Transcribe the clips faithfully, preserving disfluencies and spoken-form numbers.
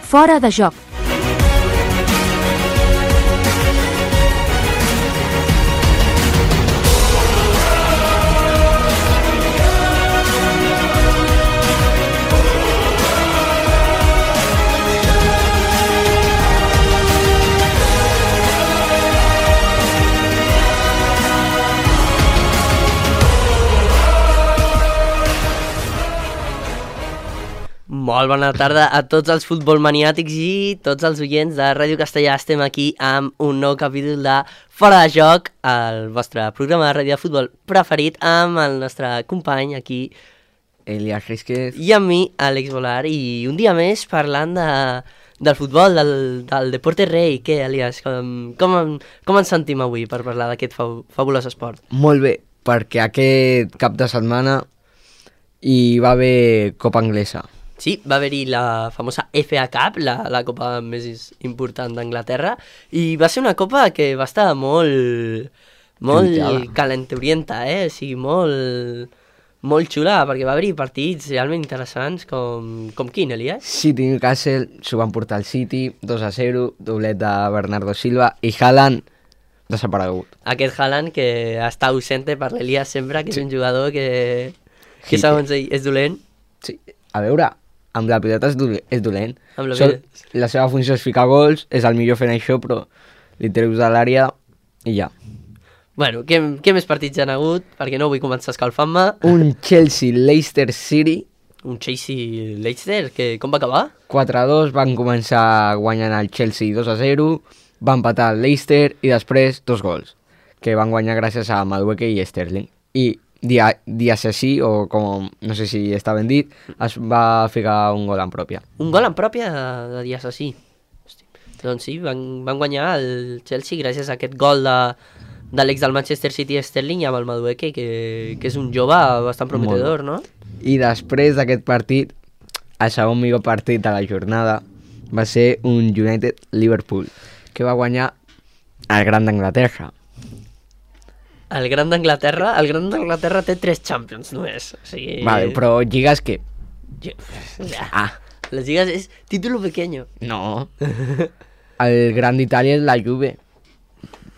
Fora de joc. Molt bona tarda a tots els futbolmaniàtics i tots els oients de Ràdio Castellà. Estem aquí amb un nou capítol de Fora de Joc, el vostre programa de ràdio de futbol preferit, amb el nostre company aquí, Elias Rísquez, i amb mi, Àlex Volar, i un dia més parlant de, del futbol, del, del Deporte Rei. Què, Elias, com, com, com ens sentim avui per parlar d'aquest fa, fabulós esport? Molt bé, perquè aquest cap de setmana hi va haver Copa Anglesa. Sí, va haver-hi la famosa F A Cup, la, la copa més important d'Anglaterra, i va ser una copa que va estar molt, molt calenturienta, eh? O sigui, molt, molt xula, perquè va haver-hi partits realment interessants com, com quin, Elias? City Newcastle, s'ho van portar al City, dos a zero, doblet de Bernardo Silva, i Haaland desaparegut. Aquest Haaland que està ausente per l'Elias sempre, que sí. És un jugador que, que segons ell és dolent. Sí, a veure, amb la pilota és, dolent, és dolent. Amb la, Sol, la seva funció és ficar gols, és el millor fent això, però li treus de l'àrea i ja. Bueno, què, què més partits han hagut? Perquè no vull començar escalfant-me. Un Chelsea-Leicester City. Un Chelsea-Leicester, que com va acabar? quatre a dos, van començar guanyant el Chelsea dos a zero, van empatar el Leicester i després dos gols, que van guanyar gràcies a Madueke i Sterling. I Dia, Diasesi, o com no sé si està ben dit, es va ficar un gol en pròpia. Un gol en pròpia de, de Diasesi. Doncs sí, van, van guanyar el Chelsea gràcies a aquest gol de, de l'ex del Manchester City Sterling i amb el Madueke, que, que és un jove bastant prometedor, no? I després d'aquest partit, el segon millor partit de la jornada va ser un United-Liverpool, que va guanyar el Gran d'Anglaterra. El Gran d'Anglaterra, el Gran d'Anglaterra té tres Champions només. O sigui... Vale, però lligues què? Ja. Ah, les lligues és título pequeño. No. El Gran d'Itàlia és la Juve.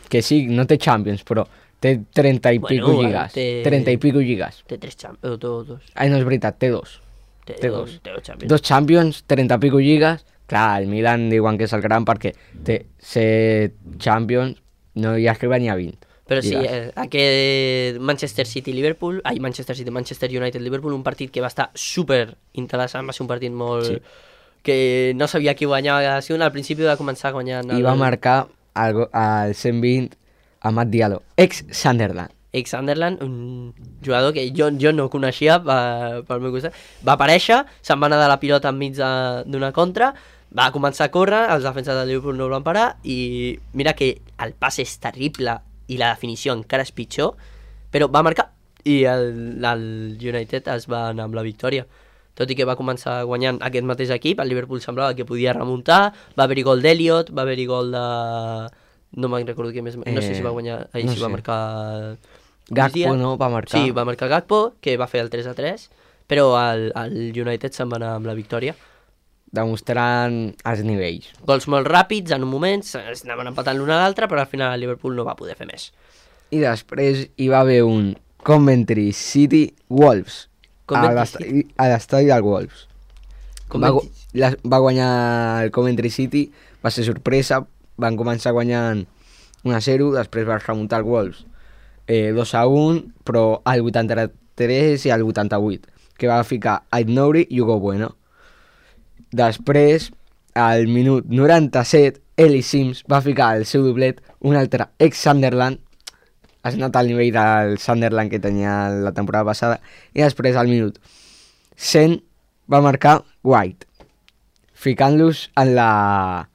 Que sí, no té Champions, però té trenta i bueno, pico lligues. Té... trenta i pico lligues. Té tres Champions, o dos. Ai, no és veritat, té dos. Té, té dos. Té dos Champions. Dos Champions, trenta i pico lligues. Clar, el Milan diuen que és el gran perquè té set Champions, no hi arriba ni a vint. Però sí, eh, aquest Manchester City-Liverpool, ai, Manchester City-Manchester United-Liverpool, un partit que va estar super interessant, va ser un partit molt... Sí. Que no sabia qui guanyava, si al principi va començar guanyant... El... I va marcar el, el cent vint a Matt Diallo, ex-Sunderland. Ex-Sunderland, un jugador que jo, jo no coneixia per, pel meu costat. Va aparèixer, se'n va anar de la pilota enmig d'una contra, va començar a córrer, els defenses del Liverpool no el van parar, i mira que el pas és terrible, i la definició encara és pitjor, però va marcar i el, el United es va anar amb la victòria. Tot i que va començar guanyant aquest mateix equip, el Liverpool semblava que podia remuntar, va haver-hi gol d'Elliot, va haver-hi gol de... No me'n recordo què més... Eh, no sé si va guanyar... Ahir no si sé. Va marcar... Gakpo no va marcar. Sí, va marcar Gakpo, que va fer el tres a tres, però el, el United se'n va anar amb la victòria. Demostrant els nivells. Gols molt ràpids, en un moment, anaven empatant l'un a l'altre, però al final el Liverpool no va poder fer més. I després hi va haver un Coventry City Wolves, Coventry a l'estadi del Wolves. Va, la, va guanyar el Coventry City, va ser sorpresa, van començar guanyant un a zero, després va remuntar el Wolves eh, dos a un, però al vuitanta-tres i al vuitanta-vuit, que va ficar Aït-Nouri i Hugo Bueno. Després, al minut noranta-set, Eli Sims va ficar el seu doblet, un altre ex-Sunderland, has notat el nivell del Sunderland que tenia la temporada passada, i després, al minut cent, va marcar White, ficant-los en la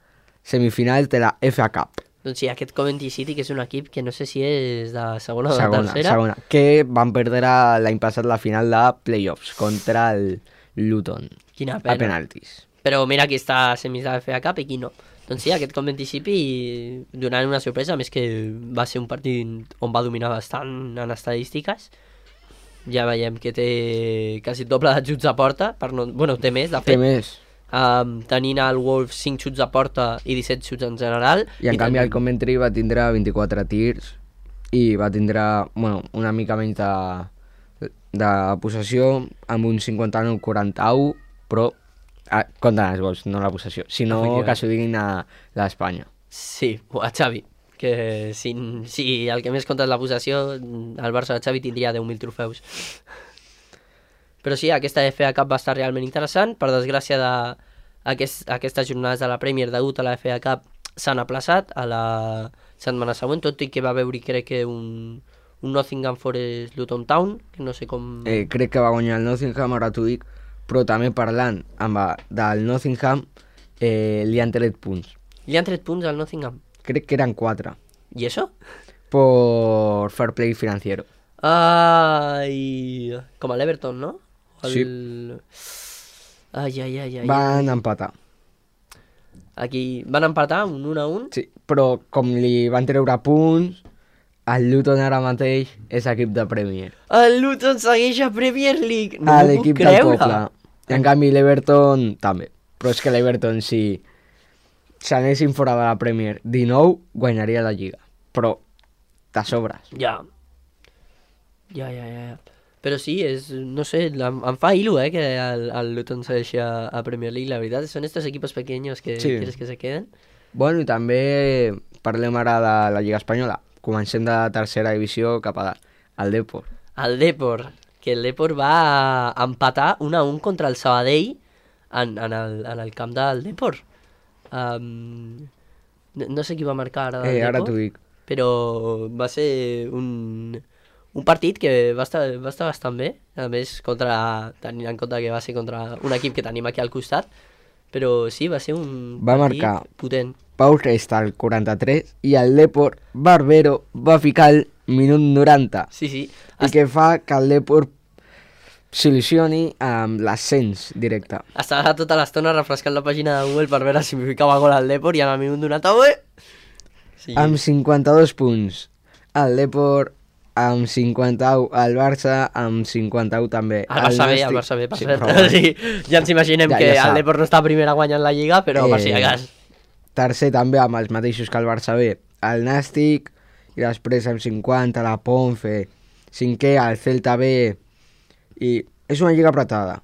semifinal de la F A Cup. Doncs sí, aquest Coventry City, que és un equip que no sé si és de segona o de segona, tercera. Segona, que van perdre l'any passat la final de playoffs contra el Luton. Quina pena. A penaltis. Però mira qui està a semis de la F A Cup i qui no. Doncs sí, aquest Coventry City donant una sorpresa, a més que va ser un partit on va dominar bastant en estadístiques. Ja veiem que té quasi doble d'ajuts a porta, per no... bueno, té més, de fet. Té més. um, tenint el Wolves cinc xuts a porta i disset xuts en general. I en I canvi el Coventry va tindre vint-i-quatre tirs i va tindre, bueno, una mica menys de, de possessió amb un cinquanta-nou quaranta-u, però ah, compten els gols, no la possessió, sinó que s'ho diguin a l'Espanya. Sí, a Xavi, que si, si el que més compta és la possessió, el Barça de Xavi tindria deu mil trofeus. Però sí, aquesta F A Cup va estar realment interessant. Per desgràcia, de aquest, aquestes jornades de la Premier degut a la F A Cup s'han aplaçat a la setmana següent, tot i que va veure, crec que un, un Nottingham Forest Luton Town, que no sé com... Eh, crec que va guanyar el Nottingham, ara t'ho dic, però també parlant amb del Nottingham, eh, li han tret punts. Li han tret punts al Nottingham? Crec que eren quatre. ¿Y eso? Por fair play financiero. Ay, como al Everton, ¿no? El... Sí. Ai, ai, ai, ai. Van empatar. Aquí van empatar un un a un? Sí, però com li van treure punts, el Luton ara mateix és equip de Premier. El Luton segueix a Premier League. No a m'ho l'equip puc del creure. poble. En canvi l'Everton també. Però és que l'Everton, si s'anessin fora de la Premier de nou, guanyaria la Lliga. Però de sobres. Ja. Ja, ja, ja. ja. Però sí, és, no sé, em, em fa il·lu, eh, que el, el Luton segueixi a, a Premier League. La veritat, són estos equipos pequeños que sí. quieres que se queden. Bueno, i també parlem ara de la Lliga Espanyola. Comencem de la tercera divisió cap a al Depor. El Depor, que el Depor va empatar un a un contra el Sabadell en, en, el, en el camp del Depor. Um, no, no sé qui va marcar ara del eh, Depor, ara t'ho dic. Però va ser un, un partit que va estar, va estar bastant bé, a més, contra, tenint en compte que va ser contra un equip que tenim aquí al costat, però sí, va ser un va partit marcar potent. Pau Resta al quaranta-tres i el Depor Barbero va ficar el minut noranta. Sí, sí. I que fa que el Depor s'il·lusioni amb l'ascens directe. Estava tota l'estona refrescant la pàgina de Google per veure si mi ficava gol al Depor i en el minut noranta, ué! Sí. Amb cinquanta-dos punts el Depor, amb cinquanta-u el Barça, amb cinquanta-u també el Barça bé, el Barça bé, per cert. Sí, ja ens imaginem ja, que ja el Depor no està a primera guanyant la Lliga, però eh, per si de cas. Tercer també amb els mateixos que el Barça B, el Nàstic, i després amb cinquanta la Ponfe, cinquè el Celta B, i és una lliga apretada,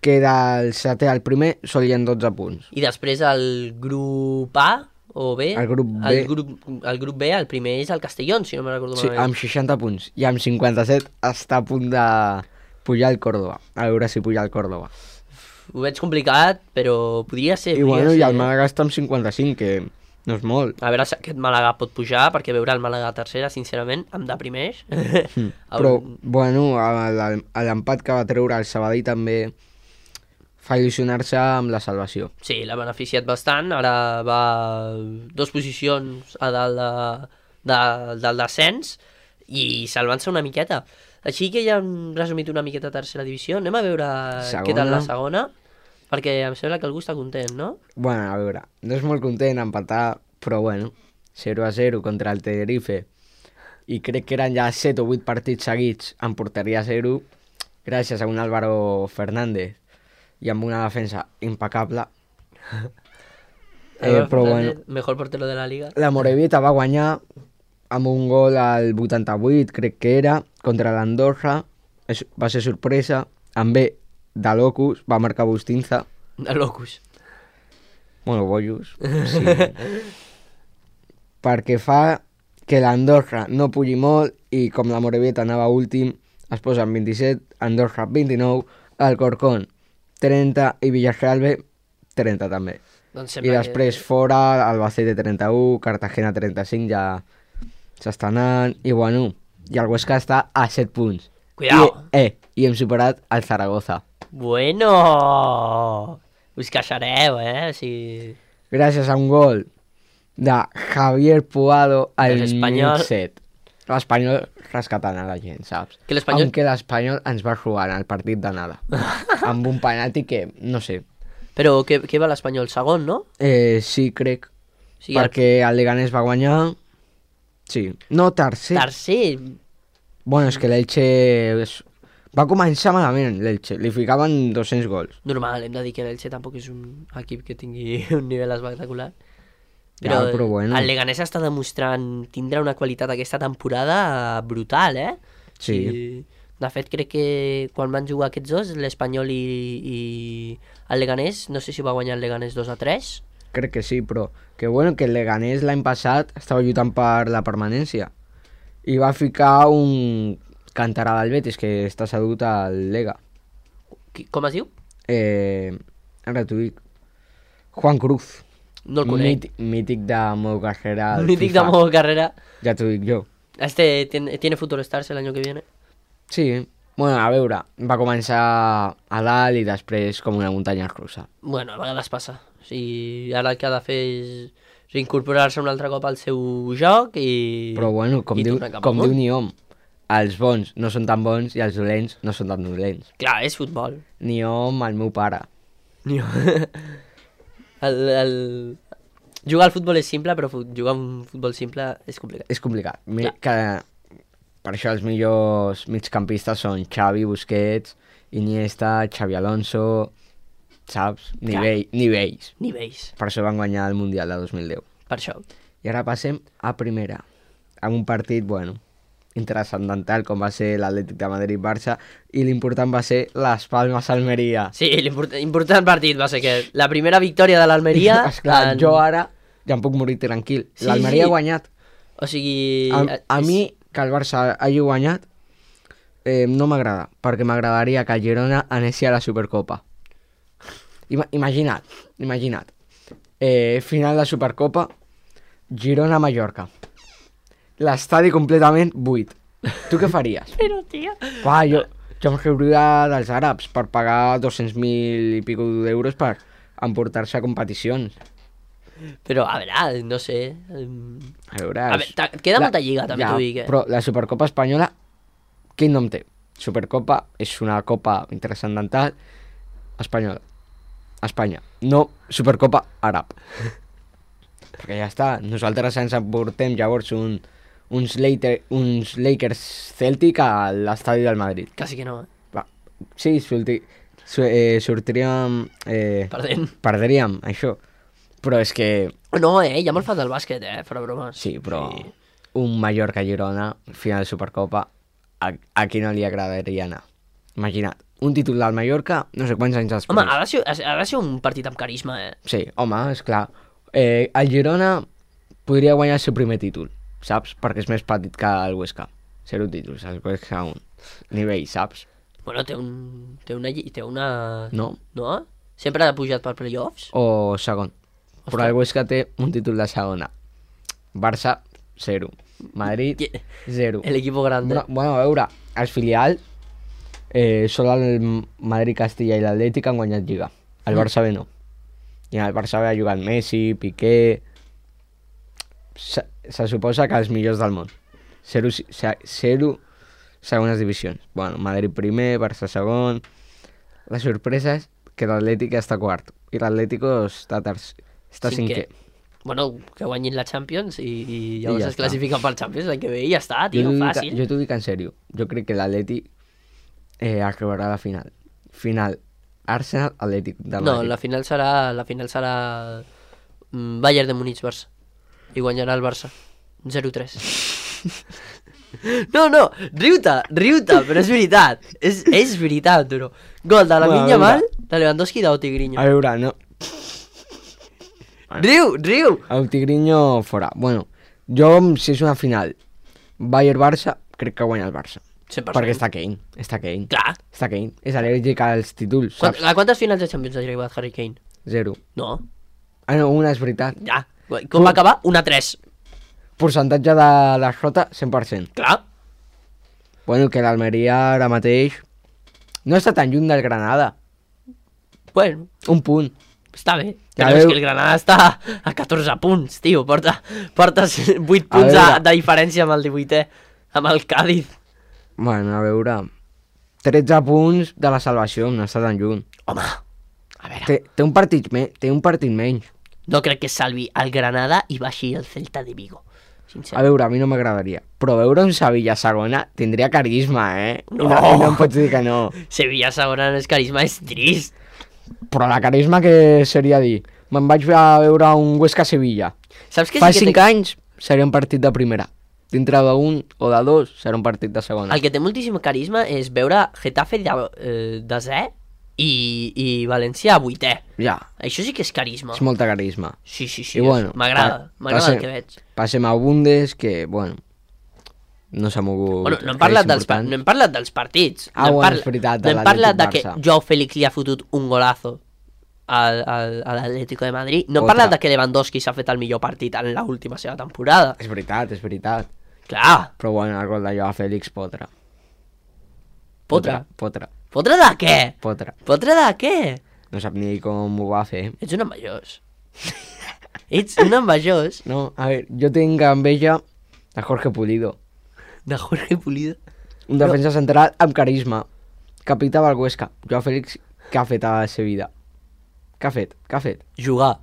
que del setè al primer sol hi ha dotze punts. I després el grup A o B, el grup B, el grup, el grup B, el primer és el Castellón, si no me recordo sí, malament. amb seixanta punts, i amb cinquanta-set està a punt de pujar el Córdoba, a veure si puja el Córdoba. Ho veig complicat, però podria ser. I podria bueno, ser. i el Màlaga està amb cinquanta-cinc, que no és molt. A veure si aquest Màlaga pot pujar, perquè veure el Màlaga a tercera, sincerament, em deprimeix. Mm. Però, bueno, l'empat que va treure el Sabadell també fa il·lusionar-se amb la salvació. Sí, l'ha beneficiat bastant, ara va dos posicions a dalt de, de, del descens i salvant-se una miqueta. Així que ja hem resumit una miqueta a tercera divisió, anem a veure segona. Què tal la segona, perquè em sembla que algú està content, no? Bueno, a veure, no és molt content empatar, però bueno, zero a zero contra el Tenerife, i crec que eren ja set o vuit partits seguits en porteria zero, gràcies a un Álvaro Fernández i amb una defensa impecable. eh, però bueno, mejor portero de la Liga. La Morevieta va guanyar amb un gol al vuitanta-vuit, crec que era, contra l'Andorra, va ser sorpresa, amb B de Locus, va marcar Bustinza. De Locus. Bueno, Boyus, sí. Perquè fa que l'Andorra no pugi molt i com la Morevieta anava últim, es posa en vint-i-set, Andorra vint-i-nou, Alcorcón trenta i Villarreal B trenta també. Doncs I després que... fora, Albacete trenta-u, Cartagena trenta-cinc, ja s'està anant, i bueno, i el Huesca està a set punts. Cuidao! I, eh, i hem superat el Zaragoza. Bueno! Us queixareu, eh? O sigui... Gràcies a un gol de Javier Puado al minut set. L'Espanyol rescatant a la gent, saps? Que l'Espanyol... Aunque l'Espanyol ens va robar en el partit d'anada. Amb un penalti que, no sé... Però què, què va l'Espanyol? Segon, no? Eh, sí, crec. Sí, perquè el... el Leganés va guanyar... Sí. No, tercer. Tercer? Bueno, és que l'Elche Va començar malament l'Elche, li ficaven dos-cents gols. Normal, hem de dir que l'Elche tampoc és un equip que tingui un nivell espectacular. Però, ja, però bueno. El Leganés està demostrant tindre una qualitat aquesta temporada brutal, eh? Sí. I, de fet, crec que quan van jugar aquests dos, l'Espanyol i, i el Leganés, no sé si va guanyar el Leganés dos a tres. Crec que sí, però que bueno, que el Leganés l'any passat estava lluitant per la permanència i va ficar un cantarà del Betis que està sedut al Lega. Qui, com es diu? Eh, ara t'ho dic. Juan Cruz. No el conec. Mític, mític de modo carrera. Mític de modo carrera. Ja t'ho dic jo. Este tiene, tiene futuro stars el año que viene. Sí. Bueno, a veure, va començar a dalt i després com una muntanya russa. Bueno, a vegades passa. O sigui, ara el que ha de fer és reincorporar-se un altre cop al seu joc i... Però bueno, com, diu, com diu Niom, els bons no són tan bons i els dolents no són tan dolents. Clar, és futbol. Niom, el meu pare. Niom. el, el... Jugar al futbol és simple, però jugar un futbol simple és complicat. És complicat. Clar. Que, per això els millors migcampistes són Xavi, Busquets, Iniesta, Xavi Alonso, saps? Nivell, nivells. Nivells. Per això van guanyar el Mundial de dos mil deu. Per això. I ara passem a primera. En un partit, bueno, interessantal com va ser l'Atlètic de Madrid-Barça i l'important va ser Las Palmas-Almeria. Sí, l'important partit va ser que la primera victòria de l'Almeria... Esclar, en... jo ara ja em puc morir tranquil. Sí, L'Almeria sí. ha guanyat. O sigui... A, a és... mi, que el Barça hagi guanyat, eh, no m'agrada, perquè m'agradaria que el Girona anessi a la Supercopa. Ima imagina't, imagina't. Eh, final de Supercopa, Girona-Mallorca. L'estadi completament buit. Tu què faries? Però, tia... Va, jo, jo em riuria dels àrabs per pagar dos-cents mil i pico d'euros per emportar-se a competicions. Però, a veure, no sé... A veure... A veure, queda la... molta lliga, també ja, t'ho dic, eh? Però la Supercopa espanyola, quin nom té? Supercopa és una copa transcendental espanyola. Espanya. No Supercopa àrab. Perquè ja està. Nosaltres ens emportem llavors un, uns, later, uns Lakers Celtic a l'estadi del Madrid. Quasi que no, eh? Va. Sí, sorti, su, eh, sortiríem... Eh, Perdent. Perdríem, això. Però és que... No, eh? Hi ha molt fan del bàsquet, eh? Fora bromes. Sí, però sí. Un Mallorca-Girona, final de Supercopa, a, a qui no li agradaria anar? Imagina't. Un títol del Mallorca, no sé quants anys després. Home, ha de ser, ha de ser un partit amb carisma, eh? Sí, home, esclar. Eh, el Girona podria guanyar el seu primer títol, saps? Perquè és més petit que el Huesca. Zero títols, el Huesca un. Nivell, saps? Bueno, té un... Té una... Té una... No. No? Sempre ha pujat per playoffs? O segon. Ostres. Però el Huesca té un títol de segona. Barça, zero. Madrid, zero. El equipo grande. Bueno, bueno a veure, els filials Eh, sol el Madrid, Castilla i l'Atlètic han guanyat Lliga. El Barça B no. I el Barça B ha jugat Messi, Piqué... Se, se suposa que els millors del món. Zero, zero segones divisions. Bueno, Madrid primer, Barça segon... La sorpresa és que l'Atlètic està quart i l'Atlético està, està cinquè. Bueno, que guanyin la Champions i, i llavors I ja es classifiquen pel Champions l'any que ve i ja està, tio, fàcil. Jo t'ho dic en sèrio. Jo crec que l'Atlètic Eh, acabarà la final. Final Arsenal Atlètic de Madrid. No, la final serà la final serà mm, Bayern de Múnich Barça. I guanyarà el Barça. zero tres. No, no, riu-te, riu-te, però és veritat. És, és veritat, però. Gol de la bueno, Yamal, de Lewandowski i d'Autigrinho. A veure, no. Riu, riu. Autigrinho fora. Bueno, jo, si és una final Bayern-Barça, crec que guanya el Barça. cent per cent. Perquè està Kane, està Kane. Clar. Està Kane, és al·lèrgic als títols, saps? A quantes finals de Champions ha arribat Harry Kane? Zero. No. Ah, no, una és veritat. Ja. Com va acabar? Una tres. Percentatge de derrota, cent per cent. Clar. Bueno, que l'Almeria ara mateix no està tan lluny del Granada. Bueno. Un punt. Està bé. Però és que el Granada està a catorze punts, tio. Porta, porta vuit punts de, de diferència amb el divuitè, amb el Cádiz. Bueno, a veure... tretze punts de la salvació, no està tan lluny. Home, a veure... Té, té, un, partit me, té un partit menys. No crec que salvi el Granada i baixi el Celta de Vigo. sincer. A veure, a mi no m'agradaria. Però veure un Sevilla segona tindria carisma, eh? No! I no, i no em pots dir que no. Sevilla segona no és carisma, és trist. Però la carisma que seria dir... Me'n vaig a veure un Huesca-Sevilla. Saps que Fa sí que cinc té... anys seria un partit de primera. Dintre d'un o de dos serà un partit de segona. El que té moltíssim carisma és veure Getafe de, eh, desè i, i València a vuitè. Ja. Això sí que és carisma. És molta carisma. Sí, sí, sí. I bueno, m'agrada, pa- m'agrada passe- el que veig. Passem a Bundes, que, bueno, no s'ha mogut. Bueno, no hem, res parlat dels, pa- important. no hem parlat dels partits. Ah, no hem bueno, parla- és veritat, No de hem parlat de que l'Atlètic-Barça. Joao Félix li ha fotut un golazo al, al, a l'Atlético de Madrid. No hem Otra. parlat de que Lewandowski s'ha fet el millor partit en l'última seva temporada. És veritat, és veritat. Clar, Però bueno, el gol de Joao Félix, potra. Potra. Potra. fotre de què? Potra. Fotre de què? No sap ni com ho va fer. Ets un envejós. Ets un envejós No, a veure, jo tinc enveja de Jorge Pulido. de Jorge Pulido. Un defensa central amb carisma. Capità del Huesca. Joao Félix, què ha fet a la seva vida? Què ha fet? Què ha fet? Jugar.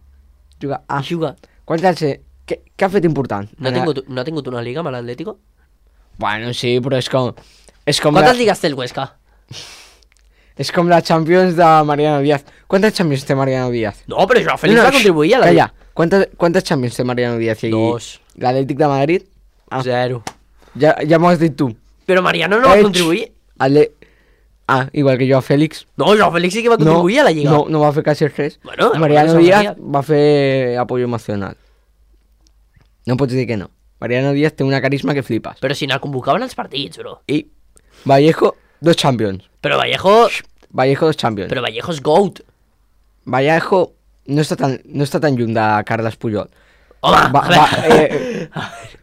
Jugar. Ah, Jugar. quants anys té? Què, què ha fet important? No ha, tingut, no ha tingut una liga amb l'Atlético? Bueno, sí, però és com... És com, Quantes la, lligues té el Huesca? és com la Champions de Mariano Díaz. Quantes Champions té Mariano Díaz? No, però Joao Félix va contribuir a la Calla. Quantes, quantes Champions té Mariano Díaz? I Dos. L'Atlètic de Madrid? Ah, Zero. ja, ja m'ho has dit tu. Però Mariano no va Ets contribuir. Ale... Ah, igual que Joao Félix. No, Joao Félix sí que va contribuir no, a la lliga. No, no va fer quasi res. Bueno, Mariano bueno, Díaz María. va fer apoyo emocional. No pots dir que no. Mariano Díaz té una carisma que flipes. Però si n'el convocaven als partits, bro. I Vallejo, dos Champions. Però Vallejo... Vallejo, dos Champions. Però Vallejo és GOAT. Vallejo no està tan, no està tan lluny de Carles Puyol. Home, Va, a va, veure. eh,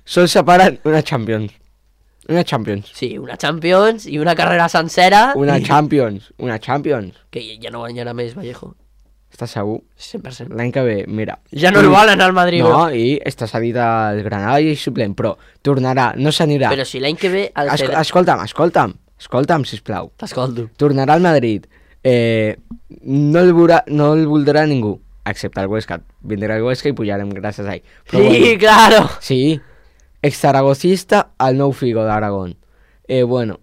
Sols separen una Champions. Una Champions. Sí, una Champions i una carrera sencera. Una i- Champions. Una Champions. Que ja no guanyarà més Vallejo. Estàs segur? cent per cent. L'any que ve, mira. Ja no el volen al Madrid, No, bro. i està cedit al Granada i és suplent, però tornarà, no s'anirà. Però si l'any que ve... El Es, Geda- escolta'm, escolta'm, escolta'm, sisplau. T'escolto. Tornarà al Madrid. Eh, no, el veurà, no el voldrà ningú, excepte el Huesca. Vindrà el Huesca i pujarem gràcies a ell. Però Sí, bueno, claro. sí, ex-zaragocista al nou Figo d'Aragón. Eh, bueno,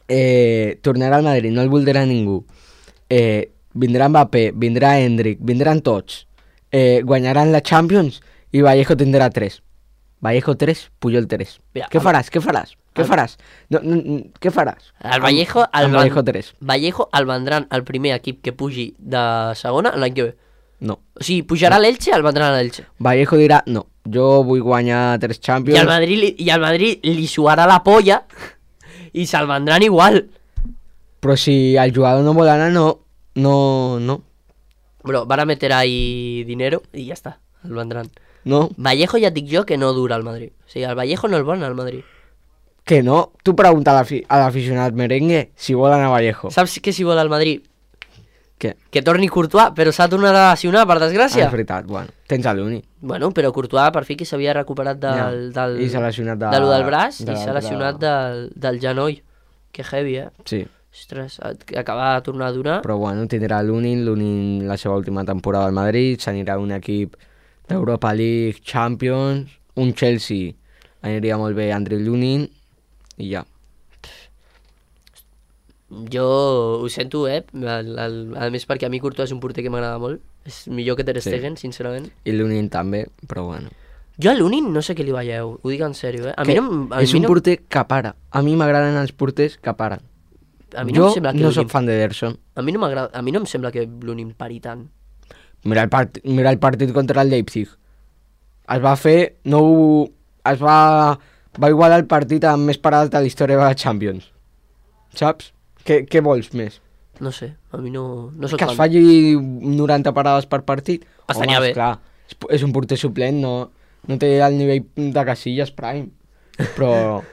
eh, tornarà al Madrid, no el voldrà ningú. Eh, vindrà Mbappé, vindrà Endrick, vindran tots. Eh, guanyaran la Champions i Vallejo tindrà tres. Vallejo tres, Puyol tres. Mira, Què el- faràs? Què faràs? Què el- faràs? No, no, no, què faràs? El Vallejo... Amb, El amb Van- Vallejo tres. Vallejo el vendran el primer equip que pugi de segona l'any que ve. No. O sigui, pujarà a l'Elche, el vendran a l'Elche. Vallejo dirà, no, jo vull guanyar tres I Champions. al Madrid, li- i al Madrid li suarà la polla i se'l vendran igual. Però si el jugador no vol anar, no, no, no, Bro, van a meter ahí dinero i ja està, el vendran. no. Vallejo ja et dic jo que no dura al Madrid. O sigui, el Vallejo no el volen al Madrid. Que no? Tu pregunta a l'afi- a l'aficionat merengue si vol anar a Vallejo. Saps què si vol al Madrid? Què? Que torni Courtois, però s'ha tornat a lesionar, per Ah, desgràcia. és veritat, bueno, tens a l'uni. Bueno, però Courtois per fi que s'havia recuperat del, Ja. del, I s'ha lesionat de- de lo del braç de i s'ha l'altre- lesionat del, del genoll. Que heavy, eh? Sí, Ostres, acaba de tornar a donar. però bueno, tindrà l'Unin, l'Unin la seva última temporada al Madrid, s'anirà a un equip d'Europa League, Champions, un Chelsea, aniria molt bé Andrei Lunin, i ja. Jo ho sento, eh? El, el, a més perquè a mi Courtois és un porter que m'agrada molt. És millor que Ter Sí. Stegen, sincerament. I l'Unin també, però bueno. Jo a l'Unin no sé què li veieu, ho dic en sèrio, eh? A mi Que no, em- a és mi un no, porter que para. A mi m'agraden els porters que paren. a mi no jo em sembla que no l'Unin- soc fan d'Ederson. a mi no m'agrada, a mi no em sembla que l'Unin pari tant. Mira el, part, mira el partit contra el Leipzig. Es va fer... No, ho- es va... Va igualar el partit amb més parades de la història de la Champions. Saps? Què, què vols més? No sé, a mi no, no soc Que es fan. falli noranta parades per partit? Estaria Home, bé. Esclar, és, és un porter suplent, no, no té el nivell de Casillas Prime. Però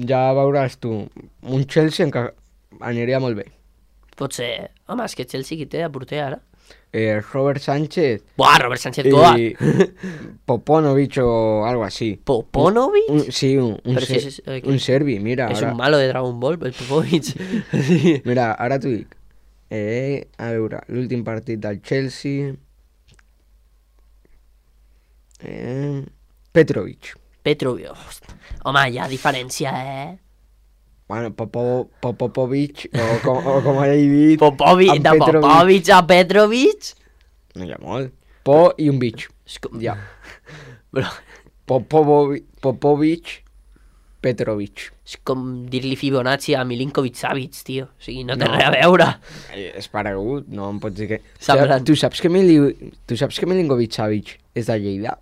ja veuràs tu. Un Chelsea en què aniria molt bé. Pot ser, home, és que Chelsea qui té a porter ara? Eh, Robert Sánchez Buah, Robert Sánchez Goa. y Poponovic o algo así. Poponovic? Un- sí, un, un, Pero ser- si es- eh, un serbi, mira. És Ara, un malo de Dragon Ball, el Popovic. Sí. mira, ara t'ho dic. Eh, a veure, l'últim partit del Chelsea... Eh, Petrovic. Petrovic. Home, hi ha diferència, eh? Bueno, Popo, Popovic, o com, o com he dit... Popovic, de Petrovic. Popovic a Petrovic? No hi ha molt. Po i un bitx. És com... Ja. Bro, Popovic, Popovic, Petrovic. és com dir-li Fibonacci a Milinkovic-Savic, tio. O sigui, no té No. res a veure. Eh, És paregut, no em pots dir que... Semblant. Tu saps que, Mili... tu saps que Milinkovic-Savic és de Lleida?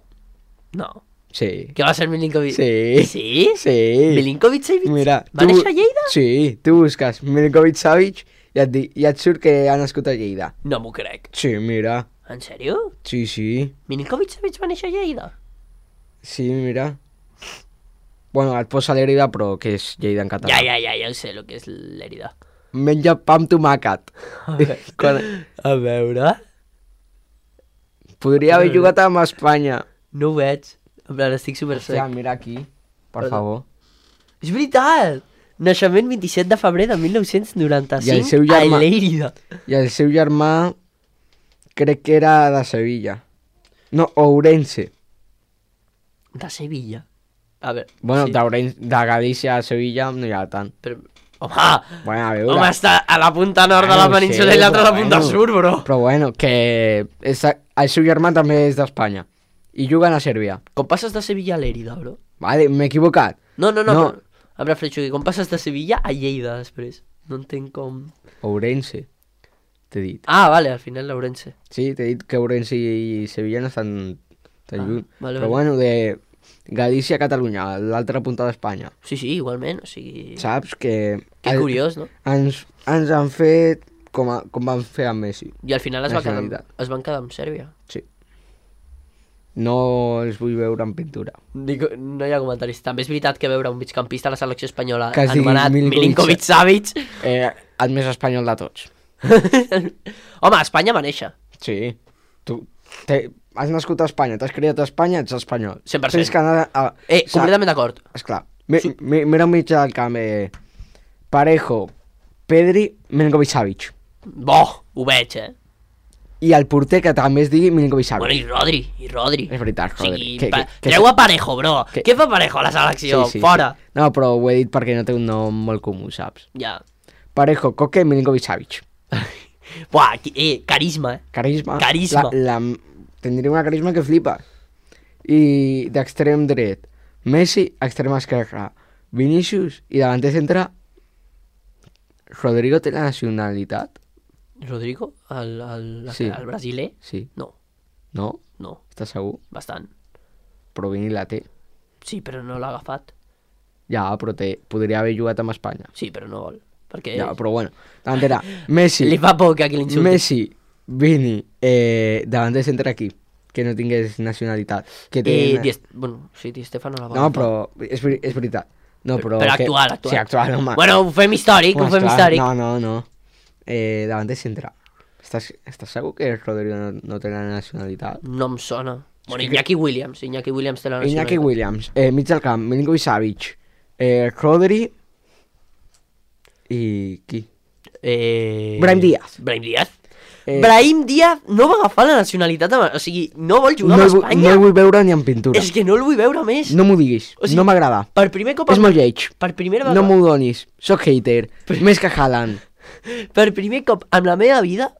No. Sí. Què va ser Milinkovic? Sí. Sí? Sí. Milinkovic-Savic? Mira, Va tu- néixer a Lleida? Sí, tu busques Milinkovic-Savic i et, di... i et surt que ha nascut a Lleida. No m'ho crec. Sí, mira. En sèrio? Sí, sí. Milinkovic-Savic va néixer a Lleida? Sí, mira. Bueno, et posa l'Èrida, però que és Lleida en català. Ja, ja, ja, ja ho sé, el que és l'Èrida. Menja pa amb tomàquet. Quan... A veure... Podria haver jugat amb Espanya. No ho veig. En plan, estic super sec. Hòstia, mira aquí, per Perdó. favor. És veritat! Naixement vint-i-set de febrer de mil nou-cents I el noranta-cinc seu germà- a Lérida. I el seu germà crec que era de Sevilla. No, Ourense. De Sevilla. A veure... Bueno, sí, d'Ourense, de Galícia a Sevilla no hi ha tant. però... Home! Bueno, a veure. Home, està a la punta nord de la Bueno, península sí, i l'altra a la però punta bueno. sud, bro. Però bueno, que és, el seu germà també és d'Espanya. I juguen a Sèrbia. Com passes de Sevilla a Lérida, bro? Vale, m'he equivocat. No, no, no. No. Però... Em refereixo que com passes de Sevilla a Lleida després. No entenc com... Ourense, t'he dit. Ah, vale, al final l'Ourense. Sí, t'he dit que Ourense i Sevilla no estan tan Ah, lluny. vale, Però vale. bueno, de Galícia a Catalunya, l'altra punta d'Espanya. Sí, sí, igualment, o sigui... Saps que... Que el- curiós, no? Ens, ens han fet com, a, com van fer amb Messi. I al final es, va quedar, Nacionalitat. es van quedar amb Sèrbia. Sí. No els vull veure en pintura. Dic, no hi ha comentaris. També és veritat que veure un migcampista a la selecció espanyola Que es digui anomenat Milinkovic- Milinkovic-Savic... Eh, el més espanyol de tots. Home, a Espanya va néixer. Sí. Tu te, has nascut a Espanya, t'has criat a Espanya, ets espanyol. cent per cent. Tens que anar a... Eh, sa- completament d'acord. Esclar. Mi, mi, mira un mig del camp. Eh, Parejo, Pedri, Milinkovic-Savic. Bo, ho veig, eh? I el porter que també es digui Milinkovic-Savic. Bueno, i Rodri, i Rodri. És veritat, O Rodri. sigui, Que- pa... que- que- treu a Parejo, bro. que- Què fa Parejo a la selecció? Fora. No, però ho he dit perquè no té un nom molt comú, saps? Ja. Parejo, Coque, Milinkovic-Savic. Buah, qui- eh, carisma, eh? Carisma. Carisma. La, la, tindria una carisma que flipa. I d'extrem dret, Messi, extrem esquerre, Vinícius i davanter centre, Rodrigo té la nacionalitat? Rodrigo, el, el, Sí. el brasiler? Sí. No, No? no, Estàs segur? bastant. Però Vini la té. Sí, però no l'ha agafat. Ja, però té, podria haver jugat amb Espanya. Sí, però no vol. Perquè Ja, però bueno. Davantera, Messi, li fa por que aquí l'insulti. Messi, Vini, eh, davanter centre aquí, que no tingués nacionalitat. Que té... Eh, Di Est- bueno, sí, Di Stefano la va No, agafar. però és, veri- és veritat. No, però... Però que... actual, actual. Sí, actual, home. Bueno, ho fem històric, ho Home, fem esclar, històric. No, no, no. Eh, davanter centre. Estàs, estàs segur que Rodrigo no, no té la nacionalitat? No em sona. Bueno, que- Iñaki Williams, Iñaki Williams té la nacionalitat. Iñaki Williams, eh, mig del camp, Milinkovic-Savic, eh, Rodri i qui? Eh... Brahim Díaz. Brahim Díaz. Eh, Brahim Díaz no va agafar la nacionalitat, amb- o sigui, no vol jugar no, amb el vull- Espanya. no el vull veure ni en pintura. És que no el vull veure més. No m'ho diguis, O sigui, no m'agrada. Per primer cop... És molt lleig. Per primera No vegada... m'ho donis, soc hater, més que Haaland. Per primer cop en la meva vida,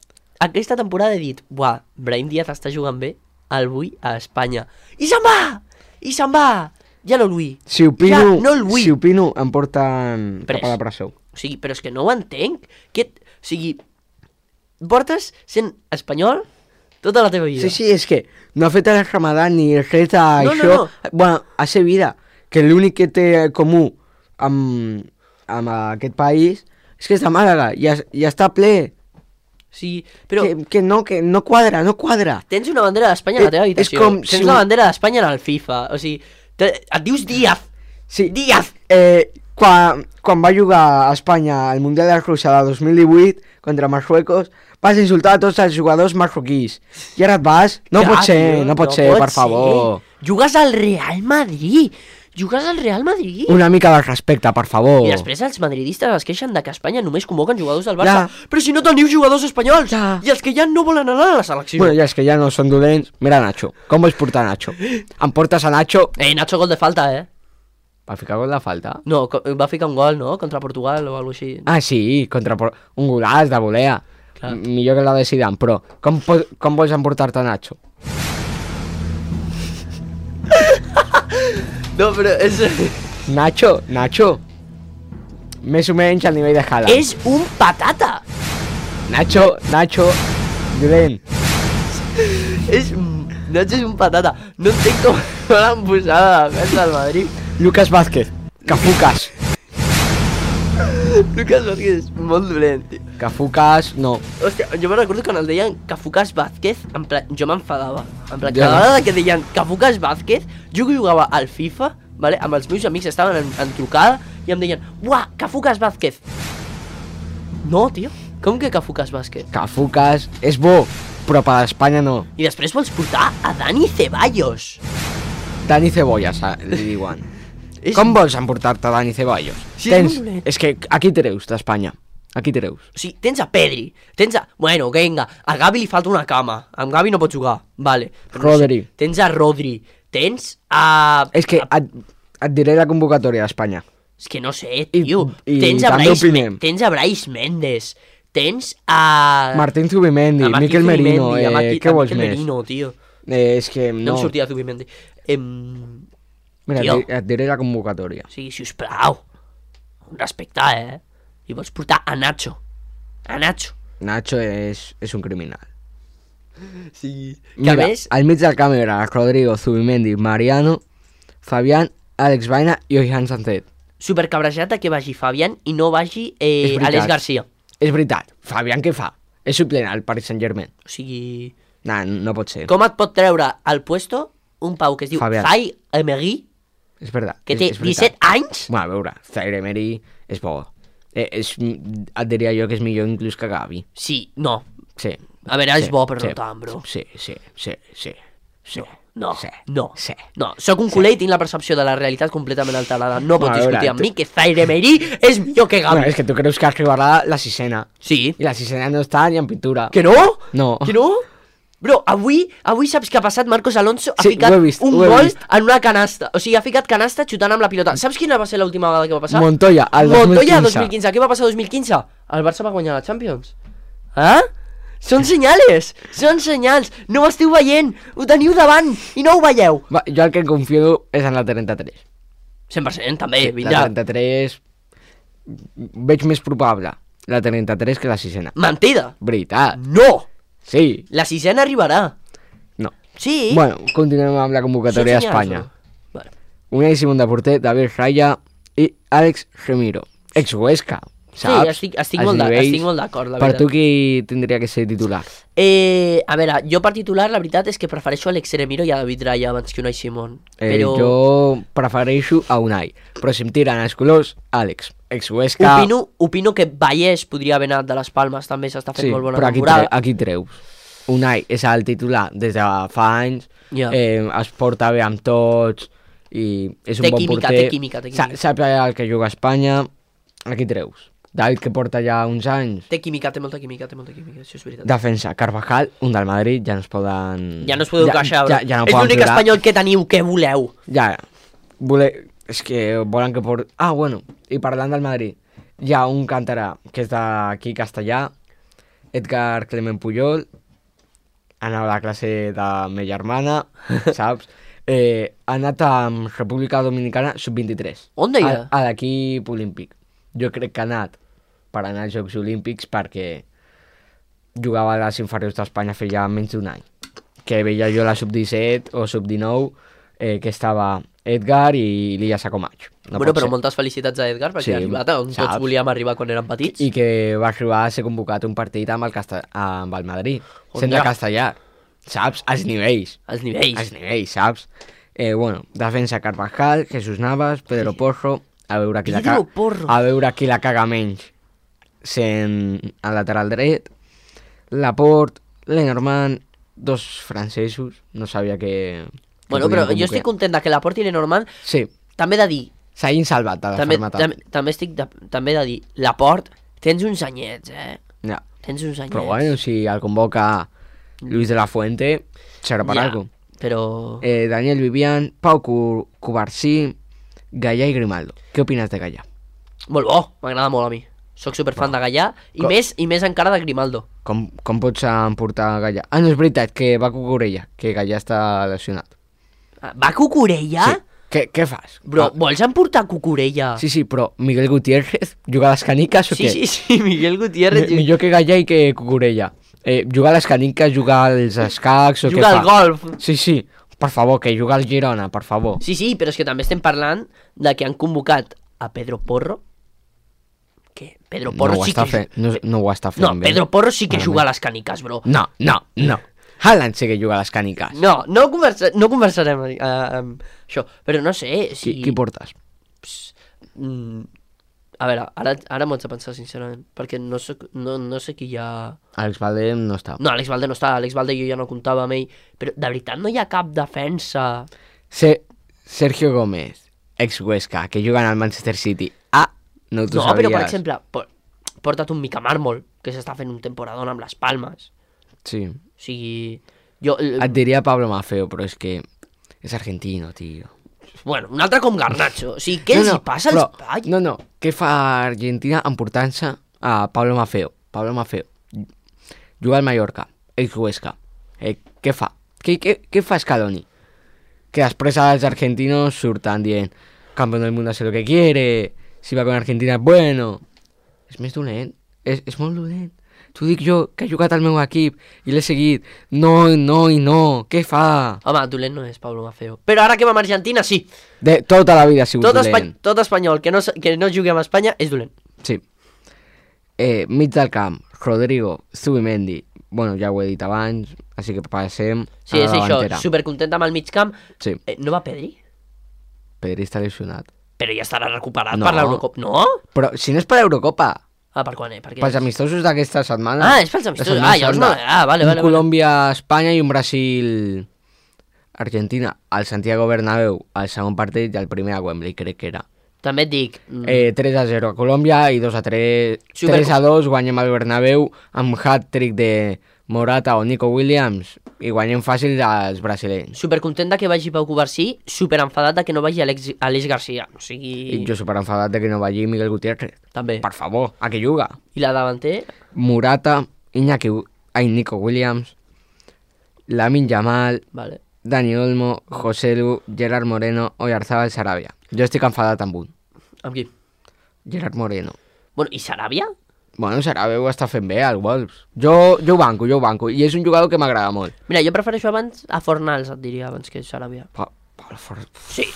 aquesta temporada he dit, buah, Brahim Díaz està jugant bé, el vull a Espanya. I se'n va! I se'n va! Ja no el vull. Si opino, Ja no el vull. si opino em porten Pres. cap a la presó. O sigui, però és que no ho entenc. Que, o sigui, portes sent espanyol tota la teva vida. Sí, sí, és que no ha fet el Ramadan ni res d'això. No, no, no. Bueno, a ser vida, que l'únic que té comú amb, amb aquest país és que és de Màlaga i, es, i està ple. Sí, però Que, que no, que no quadra, no quadra. tens una bandera d'Espanya a la Eh, teva és habitació. com Tens si la un- bandera d'Espanya en el FIFA. O sigui, te, et dius Díaz. Sí, Díaz. eh, quan, quan va jugar a Espanya al Mundial de Rússia de dos mil divuit contra Marruecos, vas insultar a tots els jugadors marroquís. I ara et vas? No Ja, pot ser, tio, no pot ser, per favor. Jugues al Real Madrid. jugues al Real Madrid. Una mica de respecte, per favor. I després els madridistes es queixen de que a Espanya només convoquen jugadors del Barça. Ja. Però si no teniu jugadors espanyols. Ja. I els que ja no volen anar a la selecció. Bueno, ja és que ja no són dolents. Mira Nacho, com vols portar Nacho? Em portes a Nacho... Eh, Nacho gol de falta, eh? Va ficar gol de falta? No, co- va ficar un gol, no? Contra Portugal o alguna cosa així. Ah, sí, contra por- un golaç de volea. Clar. M- Millor que la de Zidane, però com, po- com vols emportar-te a Nacho? No, però és... Nacho, Nacho. Més o menys al nivell de Haaland. és un patata. Nacho, Nacho, dolent. És... Nacho és un patata. No entenc com l'han posat a la defensa del Madrid. Lucas Vázquez, Cafucas. Lucas Vázquez és molt dolent, tio. Cafucas, no. Hòstia, jo me recordo quan el deien Cafucas Vázquez, en plan, jo m'enfadava. En plan, Ja. cada vegada que deien Cafucas Vázquez, jo que jugava al FIFA, vale, amb els meus amics estaven en, en trucada i em deien, uah, Cafucas Vázquez. No, tio, com que Cafucas Vázquez? Cafucas és bo, però per Espanya no. I després vols portar a Dani Ceballos. Dani Cebollas, ah, li diuen. És... Com vols emportar-te Dani Ceballos? Sí, és Tens... molt dolent. És que aquí treus d'Espanya. Aquí treus. O sigui, tens a Pedri, tens a... Bueno, vinga, a Gavi li falta una cama. Amb Gavi no pot jugar, vale. Però no Rodri. sé, tens a Rodri, tens a... És que a... et, et diré la convocatòria d'Espanya. És que no sé, I- tio. i tens, a també Brais, opinem. tens a Brais Méndez, tens a... Martín Zubimendi, a Martín Miquel Merino, Zubimendi, a eh, Marqui- què a vols Miquel més? Merino, tio. Eh, és que No, no. em sortia Zubimendi. Em... Mira, tio. et, di- et diré la convocatòria. O sigui, sisplau, respectar, eh? I vols portar a Nacho. A Nacho. Nacho és, és un criminal. Sí. Que a Mira, més... al mig del camp era Rodrigo, Zubimendi, Mariano, Fabián, Àlex Baena i Oihan Sancet. Supercabrejat a que vagi Fabián i no vagi eh, És veritat. Alex Garcia. És veritat, Fabián què fa? És suplent al Paris Saint-Germain. O sigui... Nah, no pot ser. Com et pot treure al puesto un pau que es diu Fabián. Zai Emery, És veritat. que és, té és veritat. disset anys? Bueno, a veure, Zaire Emery és bo. Eh, és, et diria jo que és millor inclús que Gavi. Sí, no. Sí. A veure, és sí, bo, però sí, no tant, bro. Sí, sí, sí, sí. sí. No, sí, no, sí. no. Soc un culer i tinc la percepció de la realitat completament alterada. No pots Bueno, a veure, discutir amb tu- mi que Zaire Emery és millor que Gavi. Bueno, és que tu creus que arribarà la sisena. Sí. I la sisena no està ni en pintura. Que no? No. Que no? Bro, avui, avui saps què ha passat? Marcos Alonso ha Sí, ficat ho he vist, un ho he gol vist. en una canasta. O sigui, ha ficat canasta xutant amb la pilota. Saps quina va ser l'última vegada que va passar? Montoya, al Montoya, dos mil quinze. dos mil quinze. Què va passar el dos mil quinze? El Barça va guanyar la Champions. Eh? Són senyales, són senyals. No ho esteu veient, ho teniu davant i no ho veieu. Va, jo el que em confio és en la trenta-tres. cent per cent també, Sí, vindrà. la trenta-tres veig més probable la trenta-tres que la sisena. Mentida. Veritat. No. Sí. La sisena arribarà. No. Sí. Bueno, continuem amb la Són convocatòria senyals, d'Espanya. bro. Vale. Unai Simón de porter, David Raya i Àlex Remiro. Ex-Huesca, saps? estic- estic Els molt d'a- nivells. estic molt d'acord, la Per veritat. tu qui tindria que ser titular? Eh, a veure, jo per titular la veritat és que prefereixo Alex Remiro i a David Raya abans que Unai Simón. Eh, Però Jo prefereixo a Unai, però si em tiren els colors, Àlex. Ex-Huesca... opino, opino que Vallès podria haver anat de les Palmes, també s'està fent Sí, molt bona però aquí, temporada. tre aquí treus. Unai és el titular des de fa anys, Ja. eh, es porta bé amb tots i és un Té bon química, porter. té química, té Sa- química. Sap el que juga a Espanya, aquí treus. David, que porta ja uns anys, Té química, té molta química, té molta química, això és veritat. defensa. Carvajal, un del Madrid, ja no es poden... Ja no es podeu queixar, ja, bro. ja no És poden l'únic plorar. espanyol que teniu, què voleu? Ja, vole... és que volen que port... Ah, bueno, i parlant del Madrid, hi ha un cantarà que és d'aquí castellà, Edgar Clement Puyol, anava a la classe de ma germana, saps? Eh, ha anat amb República Dominicana sub vint-i-tres. On deia? A, a l'equip olímpic. Jo crec que ha anat per anar als Jocs Olímpics perquè jugava a les inferiors d'Espanya feia menys d'un any. Que veia jo la sub disset o sub dinou, eh, que estava Edgar i l'Illa Sacomach. No bueno, pot però ser. moltes felicitats a Edgar perquè Sí, ha arribat on saps? tots volíem arribar quan érem petits. I que va arribar a ser convocat un partit amb el, Casta... amb el Madrid, sent de ja? castellà. Saps? Els nivells. Els nivells. Els nivells, saps? Eh, bueno, defensa Carvajal, Jesús Navas, Pedro Porro, a veure qui la Pedro caga, Porro. a veure qui la caga menys sent al lateral dret, Laporte, Lenormand, dos francesos, no sabia que... que Bueno, però podien jo estic convocar. content de que la porti Lenormand Sí, també he de dir... S'hagin salvat de la també, fermetat. també, també estic de, també he de dir, Laport, tens uns anyets, eh? Ja. Tens uns anyets. Però bueno, si el convoca Luis de la Fuente, serà per ja, algo. Però... Eh, Daniel Vivian, Pau Cubarsí, Gallà i Grimaldo. Què opines de Gallà? Molt bo, m'agrada molt a mi. Soc superfan no. de Gallà i Com... més i més encara de Grimaldo. Com, com pots emportar Gallà? Ah, no, és veritat, que va Cucurella, que Gallà està lesionat. Va Cucurella? Sí. Què, què fas? Bro, ah. vols emportar Cucurella? Sí, sí, però Miguel Gutiérrez juga a les caniques o sí, què? Sí, sí, sí, Miguel Gutiérrez... M millor que Gallà i que Cucurella. Eh, juga a les caniques, juga als escacs o juga què fa? Juga al golf. Sí, sí, per favor, que juga al Girona, per favor. Sí, sí, però és que també estem parlant de que han convocat a Pedro Porro. Què? Pedro Porro no sí que... Fe... No, no ho està fent no, bé. Pedro Porro sí que juga a les caniques, bro. No, no, no. Haaland sí que juga a les caniques. No, no, conversa, no conversarem uh, amb això, però no sé si... Qui, qui portes? Pss, mm, a veure, ara, ara m'ho haig de pensar sincerament, perquè no sé, no, no sé qui hi ha... Alex Valde no està. No, Alex Valde no està, Alex Valde jo ja no comptava amb ell, però de veritat no hi ha cap defensa... Se, Sergio Gómez, ex-Huesca, que juga al Manchester City. Ah, no t'ho no, sabies. Però per exemple, por, porta't un Mica Mármol, que s'està fent un temporadón amb les Palmes. Sí. O sigui... Jo, el... Et diria Pablo Maffeo, però és que és argentino, tio. Bueno, un altre com Garnacho. O sigui, què no, els no, hi passa però, als palls? No, no, què fa Argentina emportant-se a Pablo Maffeo? Pablo Maffeo juga al Mallorca, ex-Huesca. Eh, què fa? Què, què, què fa Scaloni? Que després els argentinos surten dient campeón del mundo hace lo que quiere, si va con Argentina és bueno. És més dolent, és, és molt dolent. T'ho dic jo, que he jugat al meu equip i l'he seguit. No, no i no, què fa? Home, dolent no és Pablo Maffeo. Però ara que va amb Argentina, sí. De tota la vida ha sigut tot dolent. Espany tot espanyol que no, que no jugui amb Espanya és dolent. Sí. Eh, mig del camp, Rodrigo, Zubimendi. Bueno, ja ho he dit abans, així que passem sí, a la és això, davantera. supercontent amb el mig camp. Sí. Eh, no va Pedri? Pedri està lesionat. Però ja estarà recuperat No. per l'Eurocopa. No? Però si no és per l'Eurocopa... Ah, per quan, eh? Per Pels amistosos d'aquesta setmana. Ah, és pels amistosos. Ah, llavors no... Ah, vale, un vale. Colòmbia-Espanya i un Brasil-Argentina. Al Santiago Bernabéu, al segon partit, i el primer a Wembley, crec que era. També et dic... Mm, Eh, tres a zero a Colòmbia i dos a tres. Super- tres a dos guanyem al Bernabéu amb hat-trick de Morata o Nico Williams i guanyem fàcil als brasilenys. supercontent de que vagi Pau Cubarsí, superenfadat de que no vagi Alex, Aleix Garcia. O sigui... I jo superenfadat de que no vagi Miguel Gutiérrez. També. Per favor, a què juga? I la davanter? Morata, Iñaki, ai, Nico Williams, Lamine Yamal, Vale. Dani Olmo, José Lu, Gerard Moreno o Oyarzabal Sarabia. Jo estic enfadat amb un. Amb qui? Gerard Moreno. Bueno, i Saràbia? Bueno, Sarabia ho està fent bé, al Wolves. Jo, jo ho banco, jo ho banco. I és un jugador que m'agrada molt. Mira, jo prefereixo abans a Fornals, et diria, abans que Saràbia. Pa, pa, for... Sí.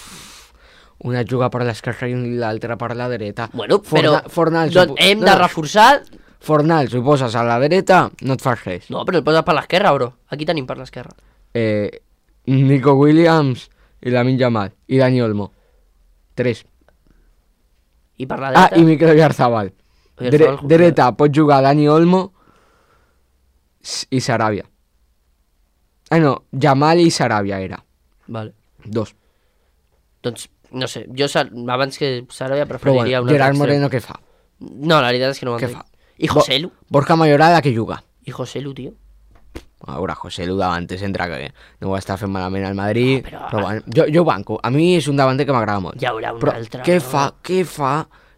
Una juga per l'esquerra i l'altra per la dreta. Bueno, Forna, però Fornals, doncs hem de reforçar... Fornals, ho poses a la dreta, no et fas res. No, però el poses per l'esquerra, bro. Aquí tenim per l'esquerra. Eh, Nico Williams i Lamine Yamal i Dani Olmo. Tres. I per la Ah, dreta... i Mikel Oyarzabal. Dre dreta pot jugar Dani Olmo i Sarabia. Ah, no, Yamal i Sarabia era. Vale. Dos. Doncs, no sé, jo abans que Saràbia Però preferiria bueno, un Gerard altre Moreno extrem. què fa? No, la veritat és que no ho Què entenc. fa? I José Lu? Borja Mayoral a què juga? I José Lu, tio? A veure, José Lu davanter centre que no ho està fent malament al Madrid, No, però- però bueno, jo, jo ho banco. A mi és un davanter que m'agrada molt. Hi haurà un Però altre... què no? fa, què fa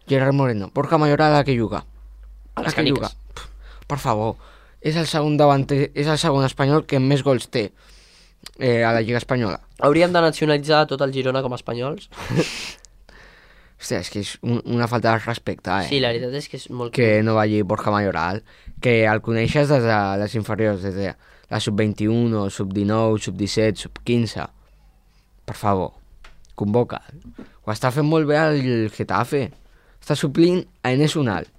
Gerard Moreno? Borja Mayoral a què juga? A les què caniques. juga? Pff, per favor, és el segon davanter, és el segon espanyol que més gols té eh, a la Lliga Espanyola. Hauríem de nacionalitzar tot el Girona com a espanyols. Hòstia, és que és un, una falta de respecte, eh? Sí, la veritat és que és molt... Que no vagi Borja Mayoral, que el coneixes des de les inferiors, des de la sub vint-i-un, sub dinou, sub disset, sub quinze. Per favor, convoca. Ho està fent molt bé el Getafe. Està suplint a Enes Unal.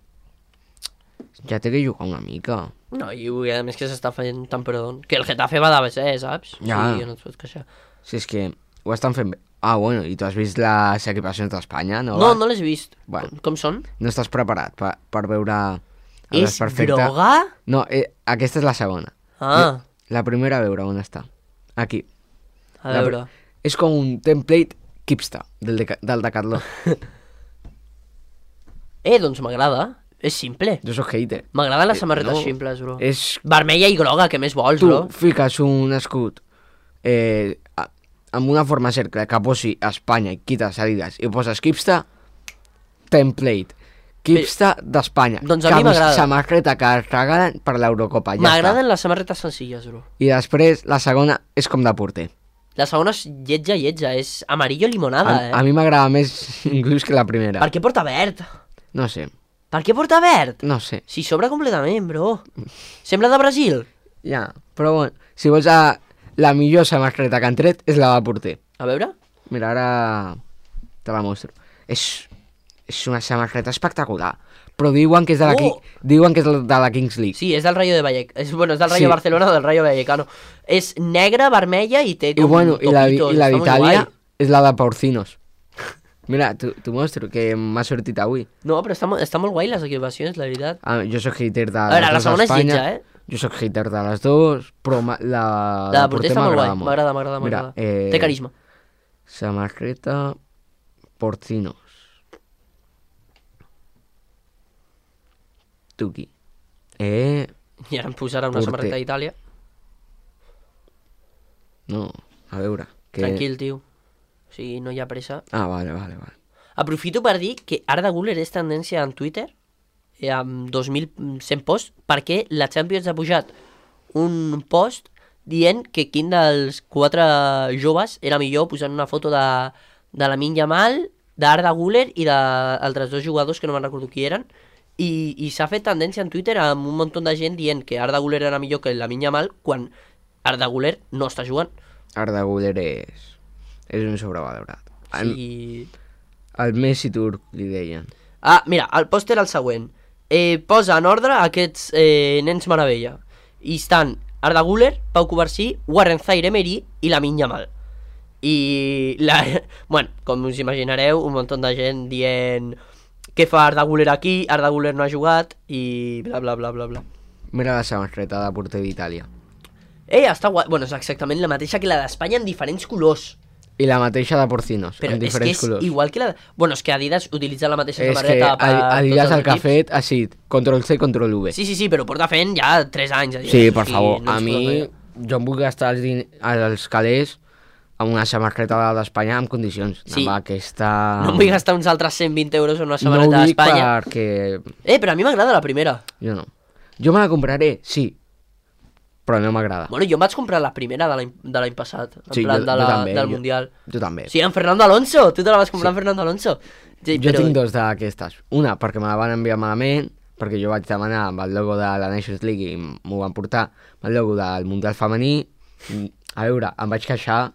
Ja té que jugar una mica. No, i a més que s'està fent temporadón. Que el Getafe va de B C, saps? Ja. Sí, no et pots queixar. Si és que ho estan fent bé. Ah, bueno, i tu has vist les equipacions d'Espanya, no? No, no l'he vist. Bueno. Com, com són? No estàs preparat per, per veure... el És desperfecte. droga? No, eh, aquesta és la segona. Ah, La primera a veure on està. Aquí. a La veure. És com un template Kipsta, del, de, del Decathlon. Eh, doncs m'agrada. És simple. Jo soc hater. M'agraden les Eh, samarretes no, simples, bro. És... Vermella i groga, què més vols, Tu bro? fiques un escut eh, a- amb una forma cercle que posi Espanya i quites Adidas i poses Kipsta, template. Kipsta d'Espanya. Doncs a mi Camis- m'agrada. Samarreta que es regalen per l'Eurocopa. Ja M'agraden les samarretes senzilles, bro. està. I després la segona és com de porter. La segona és lletja, lletja. És amarillo limonada, A, eh? a mi m'agrada més inclús que la primera. Per què porta verd? No sé, Per què porta verd? no sé. Si sobra completament, bro. Sembla de Brasil. Ja, però bueno, si vols a, la millor samarreta que han tret és la de porter. A veure? Mira, ara te la mostro. És, és una samarreta espectacular. Però diuen que és de la, Oh! Ki- diuen que és de la Kings League. Sí, és del Rayo de Vallecano. És, bueno, és del Rayo Sí. Barcelona o del Rayo Vallecano. És negra, vermella i té I com bueno, i la, toquitos. i la Està molt d'Itàlia guai. és la de Porcinos. Mira, t'ho mostro, que m'ha sortit avui. No, però està, mo- està molt guai les equipacions, la veritat. Ah, jo soc hater de A veure, les la dues segona és d'Espanya. lletja, eh? Jo soc hater de les dues, però ma- la, La de porter està molt guai. m'agrada molt. M'agrada, m'agrada, Mira, m'agrada. eh, Té carisma. Samarreta Porcinos. Tuki. Eh, I ara em posarà una Porter. samarreta d'Itàlia. no, a veure. Que... Tranquil, tio. O sigui, no hi ha pressa. Ah, vale, vale, vale. Aprofito per dir que Arda Güler és tendència en Twitter eh, amb dos mil cent posts perquè la Champions ha pujat un post dient que quin dels quatre joves era millor posant una foto de, de Lamine Yamal, d'Arda Güler i d'altres dos jugadors que no me'n recordo qui eren i, i s'ha fet tendència en Twitter amb un munt de gent dient que Arda Güler era millor que Lamine Yamal quan Arda Güler no està jugant. Arda Güler és... és un sobrevalorat. El, Sí. el Messi turc, li deien. Ah, mira, el post era el següent. Eh, posa en ordre aquests eh, nens meravella. I estan Arda Güler, Pau Covarsí, Warren Zaïre-Emery i Lamine Yamal. I, la, bueno, com us imaginareu, un munt de gent dient què fa Arda Güler aquí, Arda Güler no ha jugat i bla bla bla bla bla. Mira la samarreta de porter d'Itàlia. Eh, està guai. Bueno, és exactament la mateixa que la d'Espanya en diferents colors. I la mateixa de Porcinos, Però en és que diferents és colors. igual que la... Bueno, és que Adidas utilitza la mateixa És que samarreta per Adidas tots el els que ha equips. fet ha sigut control C, control V. Sí, sí, sí, però porta fent ja tres anys. Adidas. Sí, per I favor, no a ens mi, podem jo em vull gastar els, din els calés amb una samarreta d'Espanya en condicions. Sí. Amb aquesta... No em vull gastar uns altres cent vint euros en una No ho samarreta dic d'Espanya. perquè... Eh, però a mi m'agrada la primera. Jo no. Jo me la compraré, sí, però no m'agrada. Bueno, jo em vaig comprar la primera de l'any de l'any passat, en Sí, plan jo- de jo la, també, del jo- Mundial. Jo també. Sí, en Fernando Alonso, tu te la vas comprar Sí. en Fernando Alonso. Sí, Jo però... tinc dos d'aquestes. Una, perquè me la van enviar malament, perquè jo vaig demanar amb el logo de la Nations League i m'ho van portar amb el logo del Mundial Femení. I, a veure, em vaig queixar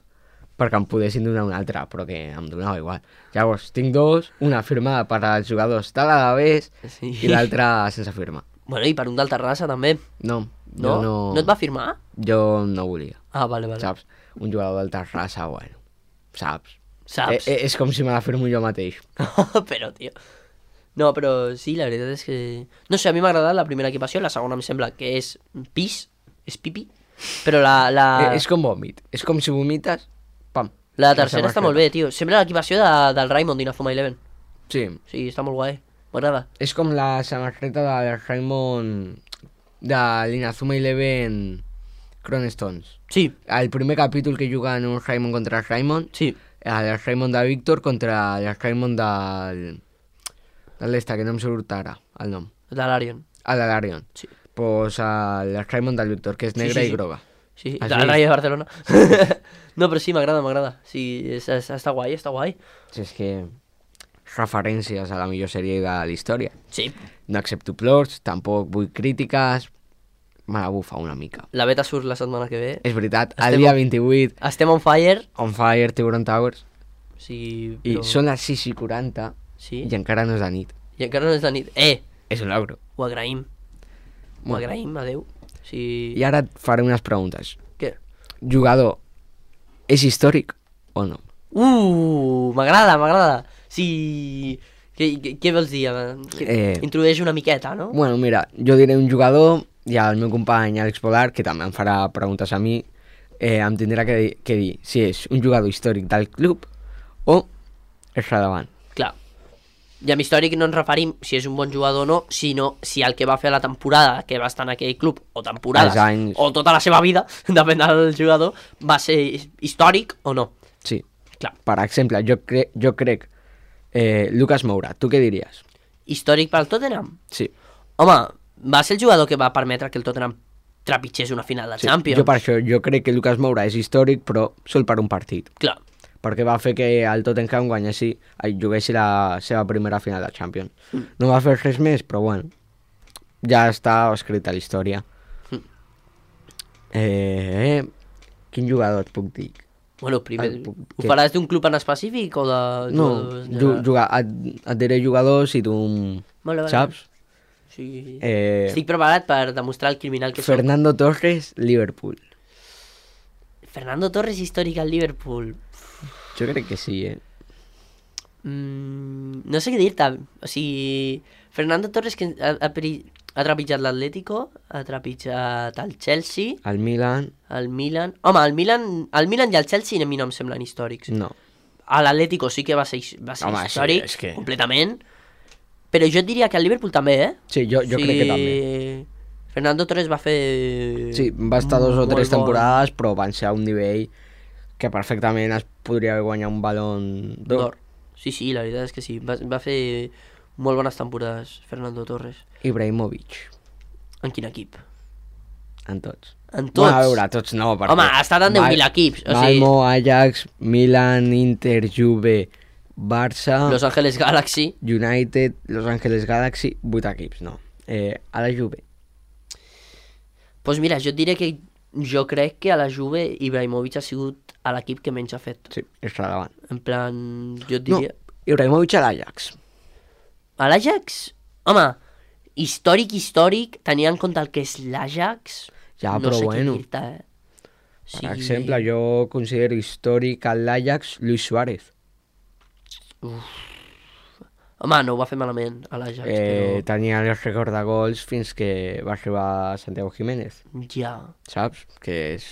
perquè em poguessin donar una altra, però que em donava igual. Llavors, tinc dos, una firmada per als jugadors de l'Alavés Sí. i l'altra sense firma. Bueno, i per un del Terrassa també. No, No? jo no... No et va firmar? Jo no volia, Ah, vale, vale. saps? Un jugador del Terrassa, bueno, saps? Saps? Eh, eh, és com si me la firmo jo mateix. però, tio... No, però sí, la veritat és que... No sé, a mi m'ha agradat la primera equipació, la segona em sembla que és pis, és pipi, però la... la... Eh, és com vòmit, és com si vomites, pam. La la tercera està samarreta. molt bé, tio. Sembla l'equipació de, del Raymond d'Inafuma Eleven. Sí, Sí, està molt guai. M'agrada. és com la samarreta del Raymond de l'Inazuma Eleven Stones. Sí, El primer capítol que juguen un Raymond contra el Raymond, sí. el Raymond de Víctor contra el Raymond del... de l'esta, que no em surt ara el nom. De l'Arion. El de l'Arion. Sí. Pues el Raymond del Víctor, que és Sí, negre sí, i sí. groga. Sí, Has del vist? Rayo de Barcelona. No, però sí, m'agrada, m'agrada. Sí, és, és, està guai, està guai. Si és que referències a la millor sèrie de la història. Sí, No accepto plots, tampoc vull crítiques, me la bufa una mica. la beta surt la setmana que ve. És veritat, el Estem- dia vint-i-vuit, Estem on fire. On Fire, Tiburon Towers, Sí, i però... són les sis i quaranta Sí, i encara no és de nit. i encara no és de nit. Eh, És un logro. ho agraïm. Ho Bueno. agraïm, adeu. Sí... I ara et faré unes preguntes. Què? Jugador, és històric o no? Uh, m'agrada, m'agrada. Sí... Què, què, què vols dir? Que Eh. Introdueix una miqueta, no? Bueno, mira, jo diré un jugador i el meu company Àlex Polar, que també em farà preguntes a mi, eh, em tindrà que dir, que dir si és un jugador històric del club o és rellevant. Clar. I amb històric no ens referim si és un bon jugador o no, sinó si el que va fer a la temporada que va estar en aquell club, o temporades, anys... o tota la seva vida, depèn del jugador, va ser històric o no. Sí. Clar. Per exemple, jo, cre jo crec eh, Lucas Moura, tu què diries? Històric pel Tottenham? Sí. Home, va ser el jugador que va permetre que el Tottenham trepitgés una final de sí. Champions. Jo per això, jo crec que Lucas Moura és històric, però sol per un partit. Clar. Perquè va fer que el Tottenham guanyessi, juguessi la seva primera final de Champions. Mm. No va fer res més, però bueno, ja està escrit a la història. Mm. Eh, quin jugador et puc dir? Bueno, primer, el, ho que... faràs d'un club en específic o de... No, de... jugar, et, et diré jugadors i tu vale, vale. saps? Sí. Eh, Estic preparat per demostrar el criminal que Fernando soc. Torres, Liverpool. Fernando Torres històric al Liverpool. Jo crec que sí, eh? Mm, no sé què dir-te. O sigui, Fernando Torres que ha, ha, ha trepitjat l'Atlético, ha trepitjat el Chelsea... El Milan... El Milan... Home, el Milan, el Milan i el Chelsea a mi no em semblen històrics. No. A l'Atlético sí que va ser, va ser Home, històric, sí, és que... completament. Però jo et diria que el Liverpool també, eh? Sí, jo, jo sí, crec que també. Fernando Torres va fer... Sí, va estar dos o tres bon. temporades, però van ser a un nivell que perfectament es podria haver guanyat un balon d'or. Sí, sí, la veritat és que sí. Va, va fer molt bones temporades, Fernando Torres. Ibrahimovic. En quin equip? En tots. En tots? Bueno, a veure, tots no. Perquè home, ha estat en deu mil equips. O sigui... Malmo, Ajax, Milan, Inter, Juve, Barça... Los Angeles Galaxy. United, Los Angeles Galaxy, vuit equips, no. Eh, a la Juve. Doncs pues mira, jo et diré que jo crec que a la Juve Ibrahimovic ha sigut a l'equip que menys ha fet. Sí, és relevant. En plan, jo et diria... No, Ibrahimovic a l'Ajax. A l'Ajax? Home, històric, històric, tenint en compte el que és l'Ajax... Ja, no però sé bueno. Què dir-te, eh? Per sí. exemple, jo considero històric a l'Ajax Luis Suárez. Uf. Home, no ho va fer malament a l'Ajax, eh, però... Tenia el rècord de gols fins que va arribar Santiago Jiménez. Ja. Saps? Que és...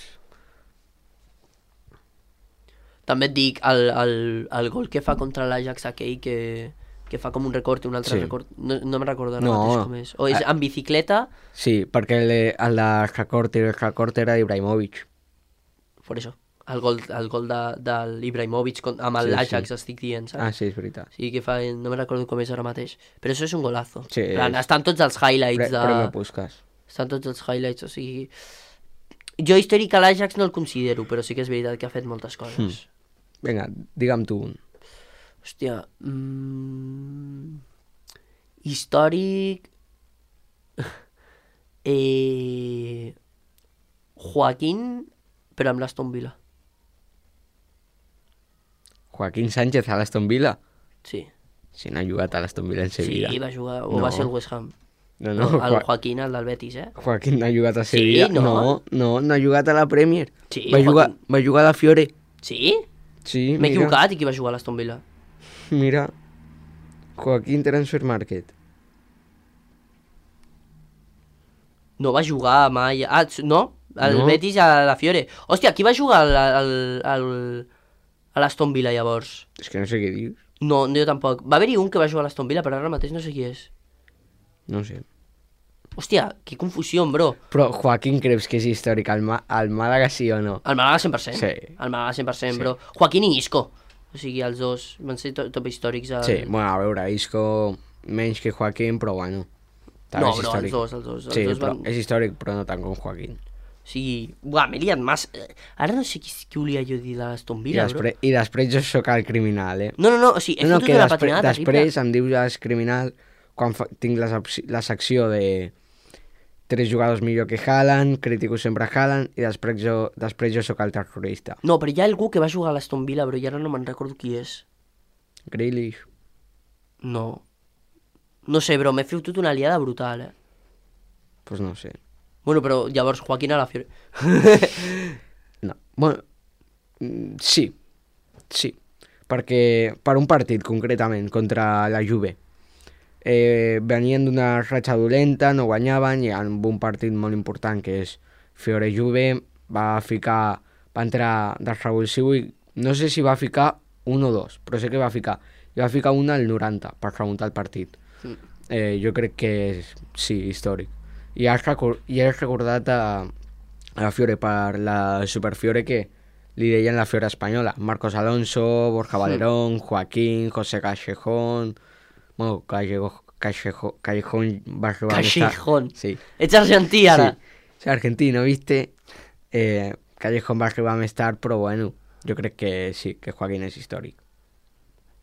També et dic, el, el, el gol que fa contra l'Ajax aquell que, que fa com un record i un altre sí. record, no, no me'n recordo ara no. mateix com és. O és en bicicleta... Sí, perquè el, el de record, el record era d'Ibrahimovic. Per això. El gol, el gol de, de l'Ibrahimovic amb l'Ajax, sí, sí. estic dient, saps? Ah, sí, és veritat. Sí, que fa, no me'n recordo com és ara mateix. Però això és un golazo. Sí, plan, és... Estan tots els highlights Pre de... Premio Puskas. Estan tots els highlights, o sigui... Jo històric a l'Ajax no el considero, però sí que és veritat que ha fet moltes coses. Hmm. Vinga, digue'm tu un. Hòstia... Mm... Històric... eh... Joaquín, però amb l'Aston Villa. Joaquín Sánchez a l'Aston Villa? Sí. Si no ha jugat a l'Aston Villa en Sevilla. Sí, va jugar, o no. va ser el West Ham. No, no. no el Joaquín, el del Betis, eh? Joaquín no ha jugat a Sevilla. Sí, no? No, no, no ha jugat a la Premier. Sí, va, jugar, Joaquín... va jugar a la Fiore. Sí? Sí, m'he equivocat i qui va jugar a l'Aston Villa? Mira, Joaquín Transfer Market. No va jugar mai... Ah, no? El no. Betis a la Fiore. Hòstia, qui va jugar al, al, al, a l'Aston Villa llavors? És que no sé què dius. No, jo tampoc. Va haver-hi un que va jugar a l'Aston Villa, però ara mateix no sé qui és. No sé. Hòstia, que confusió, bro. Però Joaquín creus que és històric al, Ma al Màlaga, sí o no? Al Màlaga cent per cent. Sí. Al Màlaga cent per cent, sí. bro. Joaquín i Isco. O sigui, els dos van ser to top històrics. Al... Sí, bueno, a veure, Isco menys que Joaquín, però bueno. No, bro, els dos, els dos. Els sí, dos però van... és històric, però no tant com Joaquín. Sí, buah, m'he liat massa. Ara no sé qui, qui volia jo dir de l'Aston Villa, I després, bro. I després jo sóc el criminal, eh? No, no, no, o sigui, he no, no, fotut una després, patinada terrible. Després em dius el criminal quan fa, tinc la, la secció de tres jugadors millor que Haaland, critico sempre Haaland, i després jo, després jo sóc el terrorista. No, però hi ha algú que va jugar a l'Aston Villa, però ja ara no me'n recordo qui és. Grealish. No. No sé, bro, m'he fotut una liada brutal, eh? Pues no sé. Bueno, però llavors Joaquín a la Fiore. No, bueno, sí, sí, perquè per un partit concretament contra la Juve eh, venien d'una ratxa dolenta, no guanyaven, i en un partit molt important que és Fiore-Juve va ficar, va entrar de revulsiu i no sé si va ficar un o dos, però sé que va ficar. I va ficar una al noranta per remuntar el partit. Mm. Eh, jo crec que és, sí, històric. I has, record, i has recordat a, a la Fiore per la Superfiore que li deien la Fiore espanyola. Marcos Alonso, Borja Valerón, Joaquín, José Callejón... Bueno, Callejón, Callejón, Callejón va a arribar... Callejón. Sí. Ets argentí, ara. Sí, és argentino, viste? Eh, Callejón va arribar més tard, però bueno, jo crec que sí, que Joaquín és històric.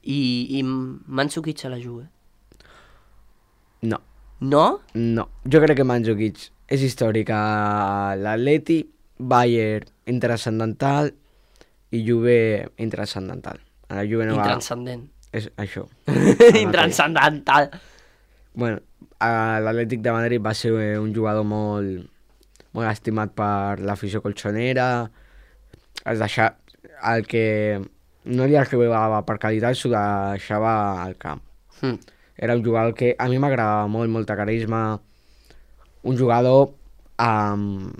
I, i Mandzukic a la Juve? No. No? No. Jo crec que Mandzukic és històric a l'Atleti, Bayern intranscendental i Juve intranscendental. A la Juve no va... Intranscendent. És això. Intranscendental. Bueno, a l'Atlètic de Madrid va ser un jugador molt, molt estimat per l'afició colchonera. Es deixava... El que no li arribava per qualitat s'ho deixava al camp. Mm. Era un jugador que a mi m'agradava molt, molta carisma. Un jugador amb,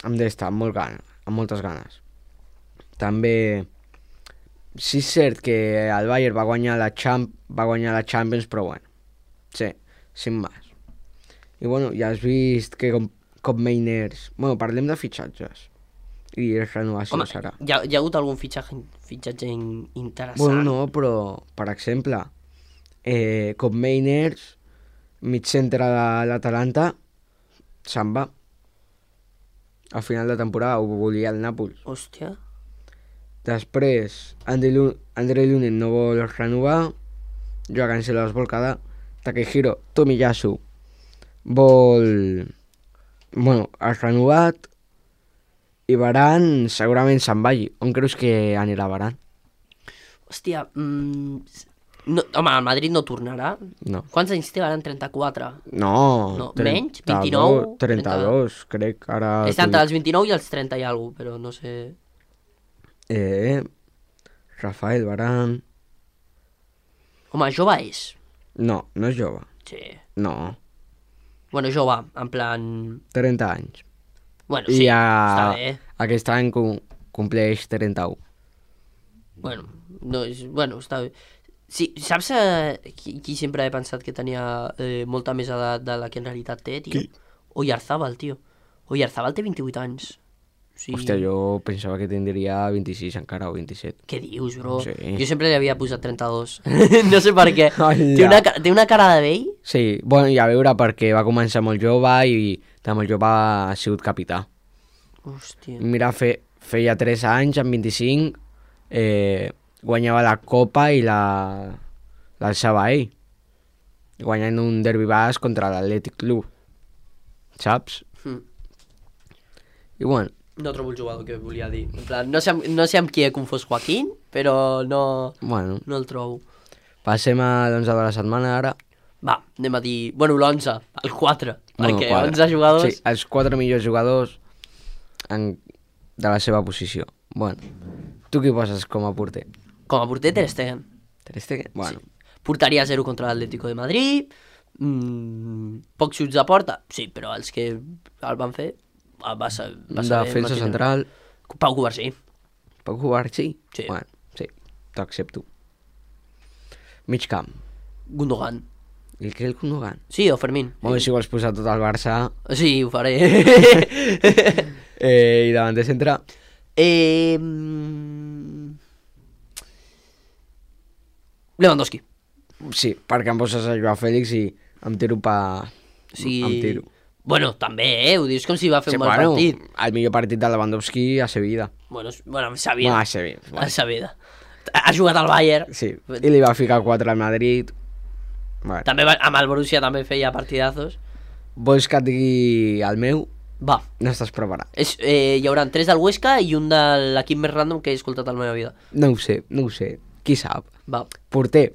amb d'estar, amb, molt gana, amb moltes ganes. També, sí és cert que el Bayern va guanyar la, Champ, va guanyar la Champions, però bueno, sí, sin más. I bueno, ja has vist que com, com Mainers... Bueno, parlem de fitxatges. I renovació Home, serà. Hi ha, hi ha hagut algun fitxatge, fitxatge interessant? Bueno, no, però, per exemple, eh, com Mainers, mig centre de l'Atalanta, se'n va. Al final de temporada ho volia el Nàpols. Hòstia. Després, André Lunin no vol renovar, Joao Cancelo es vol quedar, Takehiro Tomiyasu vol... Bueno, has renovat, i Varane segurament se'n vagi. On creus que anirà Varane? Hòstia, mm, no, home, el Madrid no tornarà. No. Quants anys té Varane? trenta-quatre? No. no menys? vint-i-nou? trenta-dos, crec. Ara és entre els vint-i-nou i els trenta i alguna cosa, però no sé... Eh, Rafael Varane... Home, jove és. No, no és jove. Sí. No. Bueno, jove, en plan... trenta anys. Bueno, sí, I a... està bé. Aquest any com... compleix trenta-u. Bueno, no és... Bueno, està bé. Sí, saps eh, qui, qui sempre he pensat que tenia eh, molta més edat de la que en realitat té, tio? Qui? Oyarzabal, tio. Oyarzabal té vint-i-vuit anys. Sí. Hòstia, jo pensava que tindria vint-i-sis encara o vint-i-set. Què dius, bro? Sí. Jo sempre li havia posat trenta-dos. No sé per què. Té una, té una cara de vell? Sí, bueno, i a veure, perquè va començar molt jove i de molt jove ha sigut capità. Hòstia. Mira, fe, feia tres anys, amb vint-i-cinc, eh, guanyava la Copa i la l'alçava ell. Guanyant un derbi basc contra l'Atlètic Club. Saps? Mm. I bueno, no trobo el jugador que volia dir. En plan, no sé, no sé amb qui he confós Joaquín, però no, bueno, no el trobo. Passem a l'onze de la setmana ara. Va, anem a dir... Bueno, l'onze, el quatre, bueno, perquè quatre. onze jugadors... Sí, els quatre millors jugadors en, de la seva posició. Bueno, tu qui poses com a porter? Com a porter, Ter Stegen. Ter Stegen? Bueno. Sí. Portaria zero contra l'Atlético de Madrid, mmm, pocs xuts a porta, sí, però els que el van fer... Va, va defensa central. Pau Cubarsí. Pau Cubarsí? Sí. Bueno, sí, t'accepto. Mig camp. Gundogan. El que és el Gundogan? Sí, o Fermín. Bueno, si vols posar tot el Barça... Sí, ho faré. eh, I davant de centre? Eh... Lewandowski. Sí, perquè em poses a Joao Fèlix i em tiro pa... Sí. Em tiro. Bueno, també, eh? Ho dius com si va fer sí, un mal bueno, partit. El millor partit de Lewandowski a Sevilla. Bueno, bueno a Sevilla. Bueno, a Sevilla. Bueno. A Sevilla. Ha jugat al Bayern. Sí, i li va ficar quatre al Madrid. Bueno. També va, amb el Borussia també feia partidazos. Vols que et digui el meu? Va. No estàs preparat. És, eh, hi haurà tres del Huesca i un de l'equip més random que he escoltat a la meva vida. No ho sé, no ho sé. Qui sap? Va. Porter,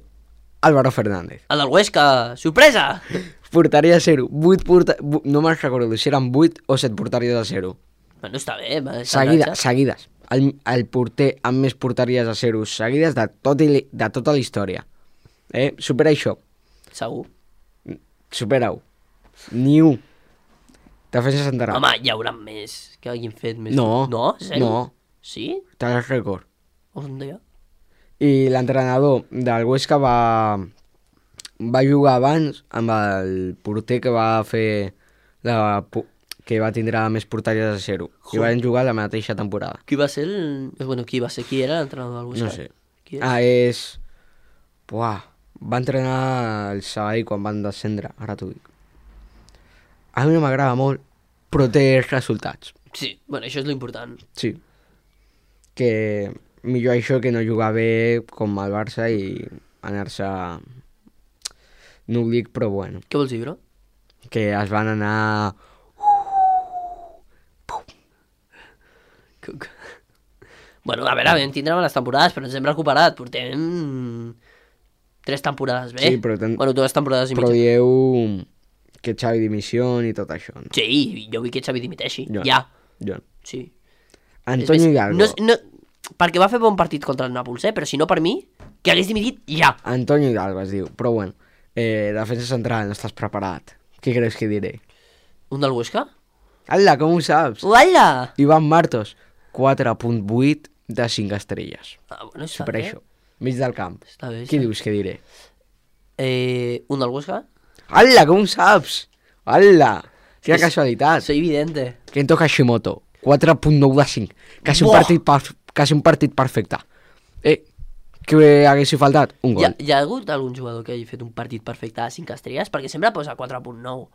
Álvaro Fernández. El del Huesca, sorpresa! Portaria a zero. vuit porta... No me'n recordo si eren vuit o set portaries a zero. Bueno, està bé. Seguida, seguides. El, el porter amb més portaries a zero seguides de, tot i, de tota la història. Eh? Supera això. Segur. Supera-ho. Ni un. Defensa central. Home, hi haurà més que hagin fet més. No. No? Zero? No. Sí? Té el rècord. On deia? I l'entrenador del Huesca va, va jugar abans amb el porter que va fer la, que va tindre més porteries de zero. I van jugar la mateixa temporada. Qui va ser el... Bueno, qui va ser? Qui era l'entrenador del Huesca? No sé. Qui és? Ah, és... Buah, va entrenar el Sabadell quan van descendre, ara t'ho dic. A mi no m'agrada molt, però té resultats. Sí, bueno, això és l'important. Sí. Que millor això que no jugar bé com el Barça i anar-se... No ho dic, però bueno. Què vols dir, bro? Que es van anar... Bueno, a veure, vam tindre les temporades, però ens hem recuperat. Portem tres temporades bé. Sí, però ten... Bueno, dues temporades i però mitja. dieu que Xavi dimissió i tot això, no? Sí, jo vull que Xavi dimiteixi. Jo. Ja. Jo. Sí. Antonio És- Hidalgo. No, és- no, perquè va fer bon partit contra el Nàpols, eh? Però si no per mi, que hagués dimitit ja. Antonio Hidalgo es diu, però bueno. Eh, defensa central, no estàs preparat. Què creus que diré? Un del Huesca? Ala, com ho saps? Uala! Ivan Martos, quatre coma vuit de cinc estrelles. Ah, bueno, està Per bé. això. Mig del camp. Està bé. Qui està bé. dius que diré? Eh, un del Huesca? Ala, com ho saps? Ala, quina És- casualitat. Soy evidente. Kento Hashimoto, quatre coma nou de cinc. Quasi un, Buah! partit per, quasi un partit perfecte. Eh, què haguessi faltat? Un Hi gol. ha, hi ha hagut algun jugador que hagi fet un partit perfecte a cinc estrelles? Perquè sempre posa quatre coma nou.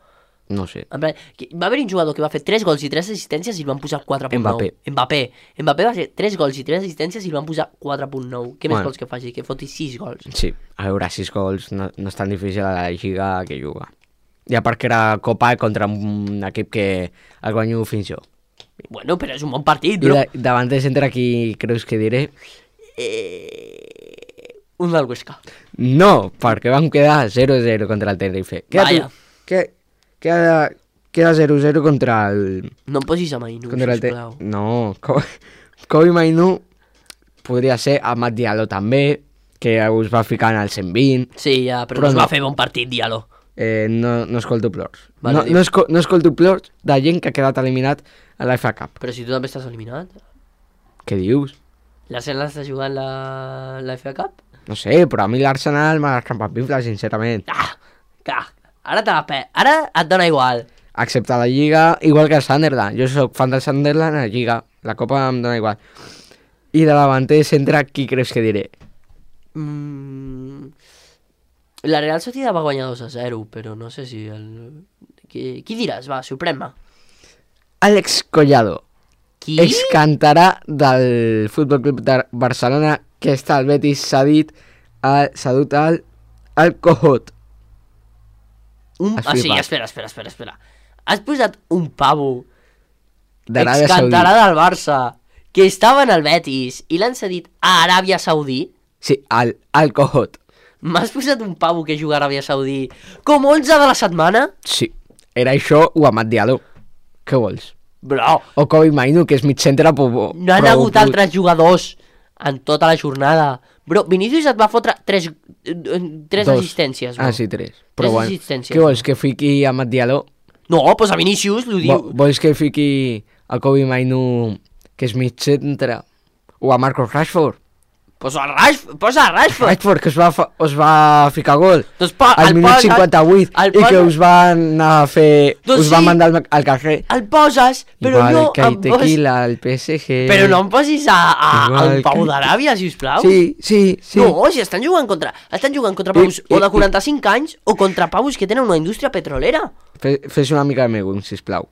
No sé. En plan, que- va haver un jugador que va fer tres gols i tres assistències i el van posar quatre coma nou. Mbappé. Mbappé. Mbappé va fer tres gols i tres assistències i el van posar quatre coma nou. Què més Bueno. vols que faci? Que foti sis gols. Sí, a veure, sis gols no, no és tan difícil a la Lliga que juga. I a part que era Copa contra un equip que el guanyo fins jo. Bueno, però és un bon partit, I bro. de, davant de centre qui creus que diré? Eh... Un del Huesca. No, perquè vam quedar zero a zero contra el Tenerife. Queda, Vaya. que, queda, queda zero a zero contra el... No em posis a Mainu, Contra el te... sisplau. No, Co- Kobe Mainu podria ser Amat Diallo també, que us va ficar en el cent vint. Sí, ja, però, Però no es no. va fer bon partit, Diallo. Eh, no, no escolto plors. Vale, no, dic. no, esco, no escolto plors de gent que ha quedat eliminat a la F A Cup. Però si tu també estàs eliminat. Què dius? L'Arsenal està jugant la, la F A Cup? No sé, però a mi l'Arsenal m'ha escampapifla, sincerament. Ah, clar, ara te la pe... Ara et dona igual. Excepte la Lliga, igual que el Sunderland. Jo sóc fan del Sunderland a la Lliga. La Copa em dona igual. I de davanter centre, qui creus que diré? Mm... La Real Sociedad va guanyar dos a zero, però no sé si el... Qui, qui diràs? Va, sorprèn-me. Àlex Collado. Qui? Excantarà del Futbol Club de Barcelona, que està al Betis cedit al, cedut al, al Cojot. Un... Has Ah, sí, flipat. espera, espera, espera, espera. Has posat un pavo D'Aràbia excantarà Saudita. del Barça que estava en el Betis i l'han cedit a Aràbia Saudí. Sí, al, al Cojot. M'has posat un pavo que juga a Aràbia Saudí com onze de la setmana? Sí, era això o Amat Diallo. Què vols? Bro, O Kobe Mainu, que és mig centre, però... no han hagut altres jugadors en tota la jornada. Bro, Vinícius et va fotre tres, eh, tres Dos. assistències, bro. Ah, sí, tres. Però Tres bueno, assistències, què vols, bro. que fiqui Amat Diallo? No, posa Vinícius, l'ho diu. Vo- Vols que fiqui a Kobe Mainu, que és mig centre? O a Marcos Rashford? Posa Rashford, posa Rashford. Rashford, que us va, fa, us va ficar gol Doncs po, al el minut poses- cinquanta-vuit el i que poses- us va anar a fer... Doncs us va sí. mandar al, al carrer. El poses, però Igual no que em posis... tequila, el P S G... Però no em posis a, a, Igual al Pau que- d'Aràbia, sisplau. Sí, sí, sí. No, si estan jugant contra... Estan jugant contra I- paus i- o de i- quaranta-cinc anys o contra paus que tenen una indústria petrolera. Fe- Fes una mica de megum, sisplau.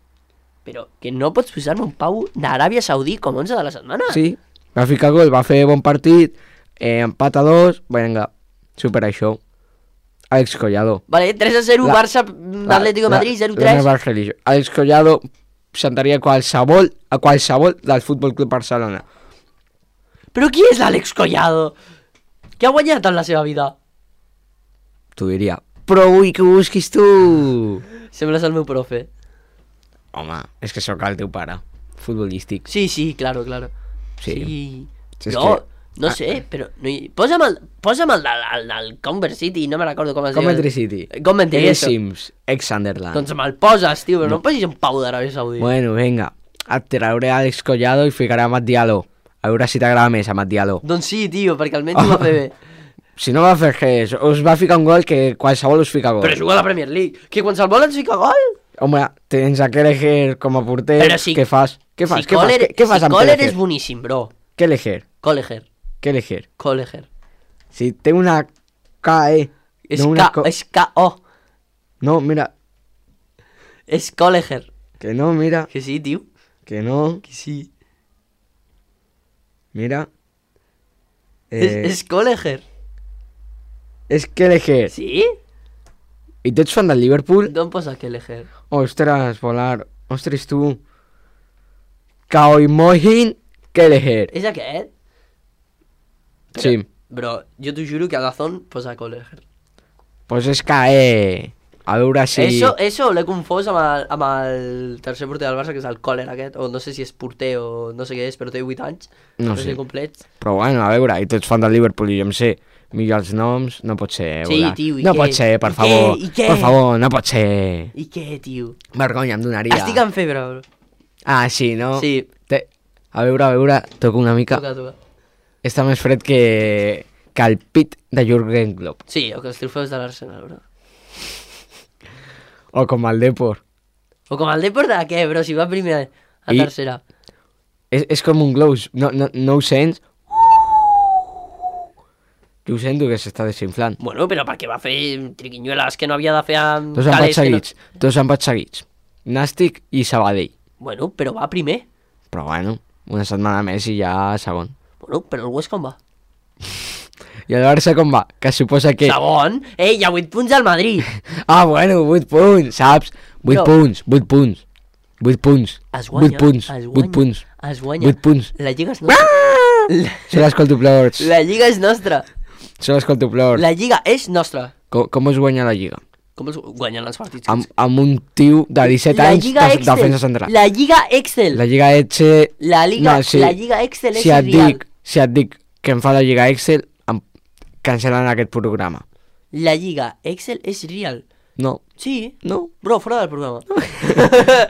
Però que no pots posar-me un pau d'Aràbia Saudí com onze de la setmana. Sí, va ficar gol, va fer bon partit, eh, empat a dos, vinga, supera això. Àlex Collado. Vale, tres a zero, La- Barça, Atlético de Madrid, zero La tres. meva religió. Àlex Collado sentaria qualsevol, a qualsevol del Futbol Club Barcelona. Però qui és l'Àlex Collado? Què ha guanyat en la seva vida? T'ho diria. Però vull que ho busquis tu. Sembles el meu profe. Home, és que sóc el teu pare. Futbolístic. Sí, sí, claro, claro. Sí. Sí. Si és No, que- no Ah. sé, però... No hi... Posa'm el, posa'm el del, el del Converse City, no me recordo com es diu. Coventry City. Coventry, És eso. Sims, ex-Sunderland. Doncs me'l poses, tio, però no, no em posis un pau d'Aràbia Saudí. Bueno, vinga. Et trauré Àlex Collado i ficaré a Mat Diallo. A veure si t'agrada més, Amat Diallo. Doncs sí, tio, perquè almenys ho va fer bé. Si no va fer res, us va ficar un gol que qualsevol us fica gol. Però juga a la Premier League. Que qualsevol ens fica gol? Home, tens a Kelleher com a porter, Però si- què fas? Què fas? Si què fas? Kohler, Què, què fas si amb Kohler Kelleher? és boníssim, bro. Kelleher, Kohler. Kelleher. Kohler. Si té una K, E. És no una K, co- és K-O. No, mira, És Kohler. que no, mira, Que sí, tio. que no, Que sí. mira. És, Eh, és Kohler. és Kelleher. Sí? I tu ets fan del Liverpool? D'on posa Kohler? Ostres, volar. Ostres, tu. Kaoimohin Kelleher. És aquest? Sí. Bro, jo t'ho juro que a Dazón posa Kohler. Pues és K, E. A veure si... Eso, eso l'he confós amb el, amb el tercer porter del Barça, que és el Kohler aquest, o no sé si és porter o no sé què és, però té vuit anys. No sé. sé. Complets. Però bueno, a veure, i tu ets fan del Liverpool i jo em sé millor els noms, no pot ser, Sí, Eulà. tio, i no què? pot ser, per I favor, què? I què? per favor, no pot ser. I què, tio? Vergonya, em donaria. Estic en febre, bro. Ah, sí, no? Sí. Té... A veure, a veure, toco una mica. Toca, toca. Està més fred que, que el pit de Jürgen Klopp. Sí, o que els trofeus de l'Arsenal, bro. O com el Depor. O com el Depor de què, bro? Si va primer a I- tercera. És, és com un glows, no, no, no ho sents? Jo ho sento que s'està desinflant. Bueno, però perquè va fer triquinyueles que no havia de fer amb Dos empats calés que no... seguits, dos empats seguits. Nàstic i Sabadell. Bueno, però va primer. Però bueno, una setmana més i ja segon. Bueno, però el West com va? I el Barça com va? Que suposa que... Segon? Ei, hi ha vuit punts al Madrid. Ah, bueno, vuit punts, saps? vuit Però- punts, vuit punts. vuit punts. Es guanya, vuit punts, es vuit guanya, punts. es guanya. vuit punts. La lliga és nostra. La, Se l'escolto plors. la lliga és nostra. Se l'escolto plors. La lliga és nostra. Com, com es guanya la lliga? Com els guanyen els partits? Amb, amb un tio de disset La anys lliga de Excel. defensa central. La lliga Excel. La lliga Excel... La lliga, No, sí. la lliga Excel és si et irreal. dic, si et dic que em fa la lliga Excel, em cancel·len aquest programa. La lliga Excel és real. No, Sí. no. Bro, fora del programa.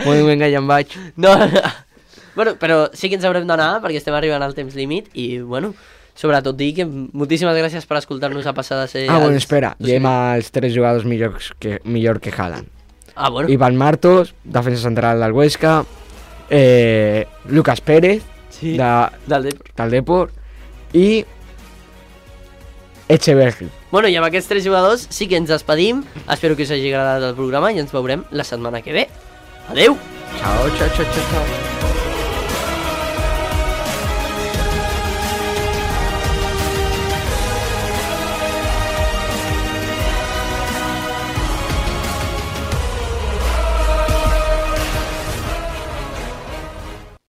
Bueno, vinga, ja em vaig. No, no. Bueno, però sí que ens haurem d'anar perquè estem arribant al temps límit i, bueno, sobretot dir que moltíssimes gràcies per escoltar-nos a passar de ser... Ah, bueno, els- espera, dos llem mil. els tres jugadors millors que, millor que Haaland. Ah, bueno. Iván Martos, defensa central del Huesca, eh, Lucas Pérez, Sí. de, Del Depor. del Depor, i Echeverri. Bueno, i amb aquests tres jugadors sí que ens despedim. Espero que us hagi agradat el programa i ens veurem la setmana que ve. Adeu! Ciao, ciao, ciao, ciao, ciao.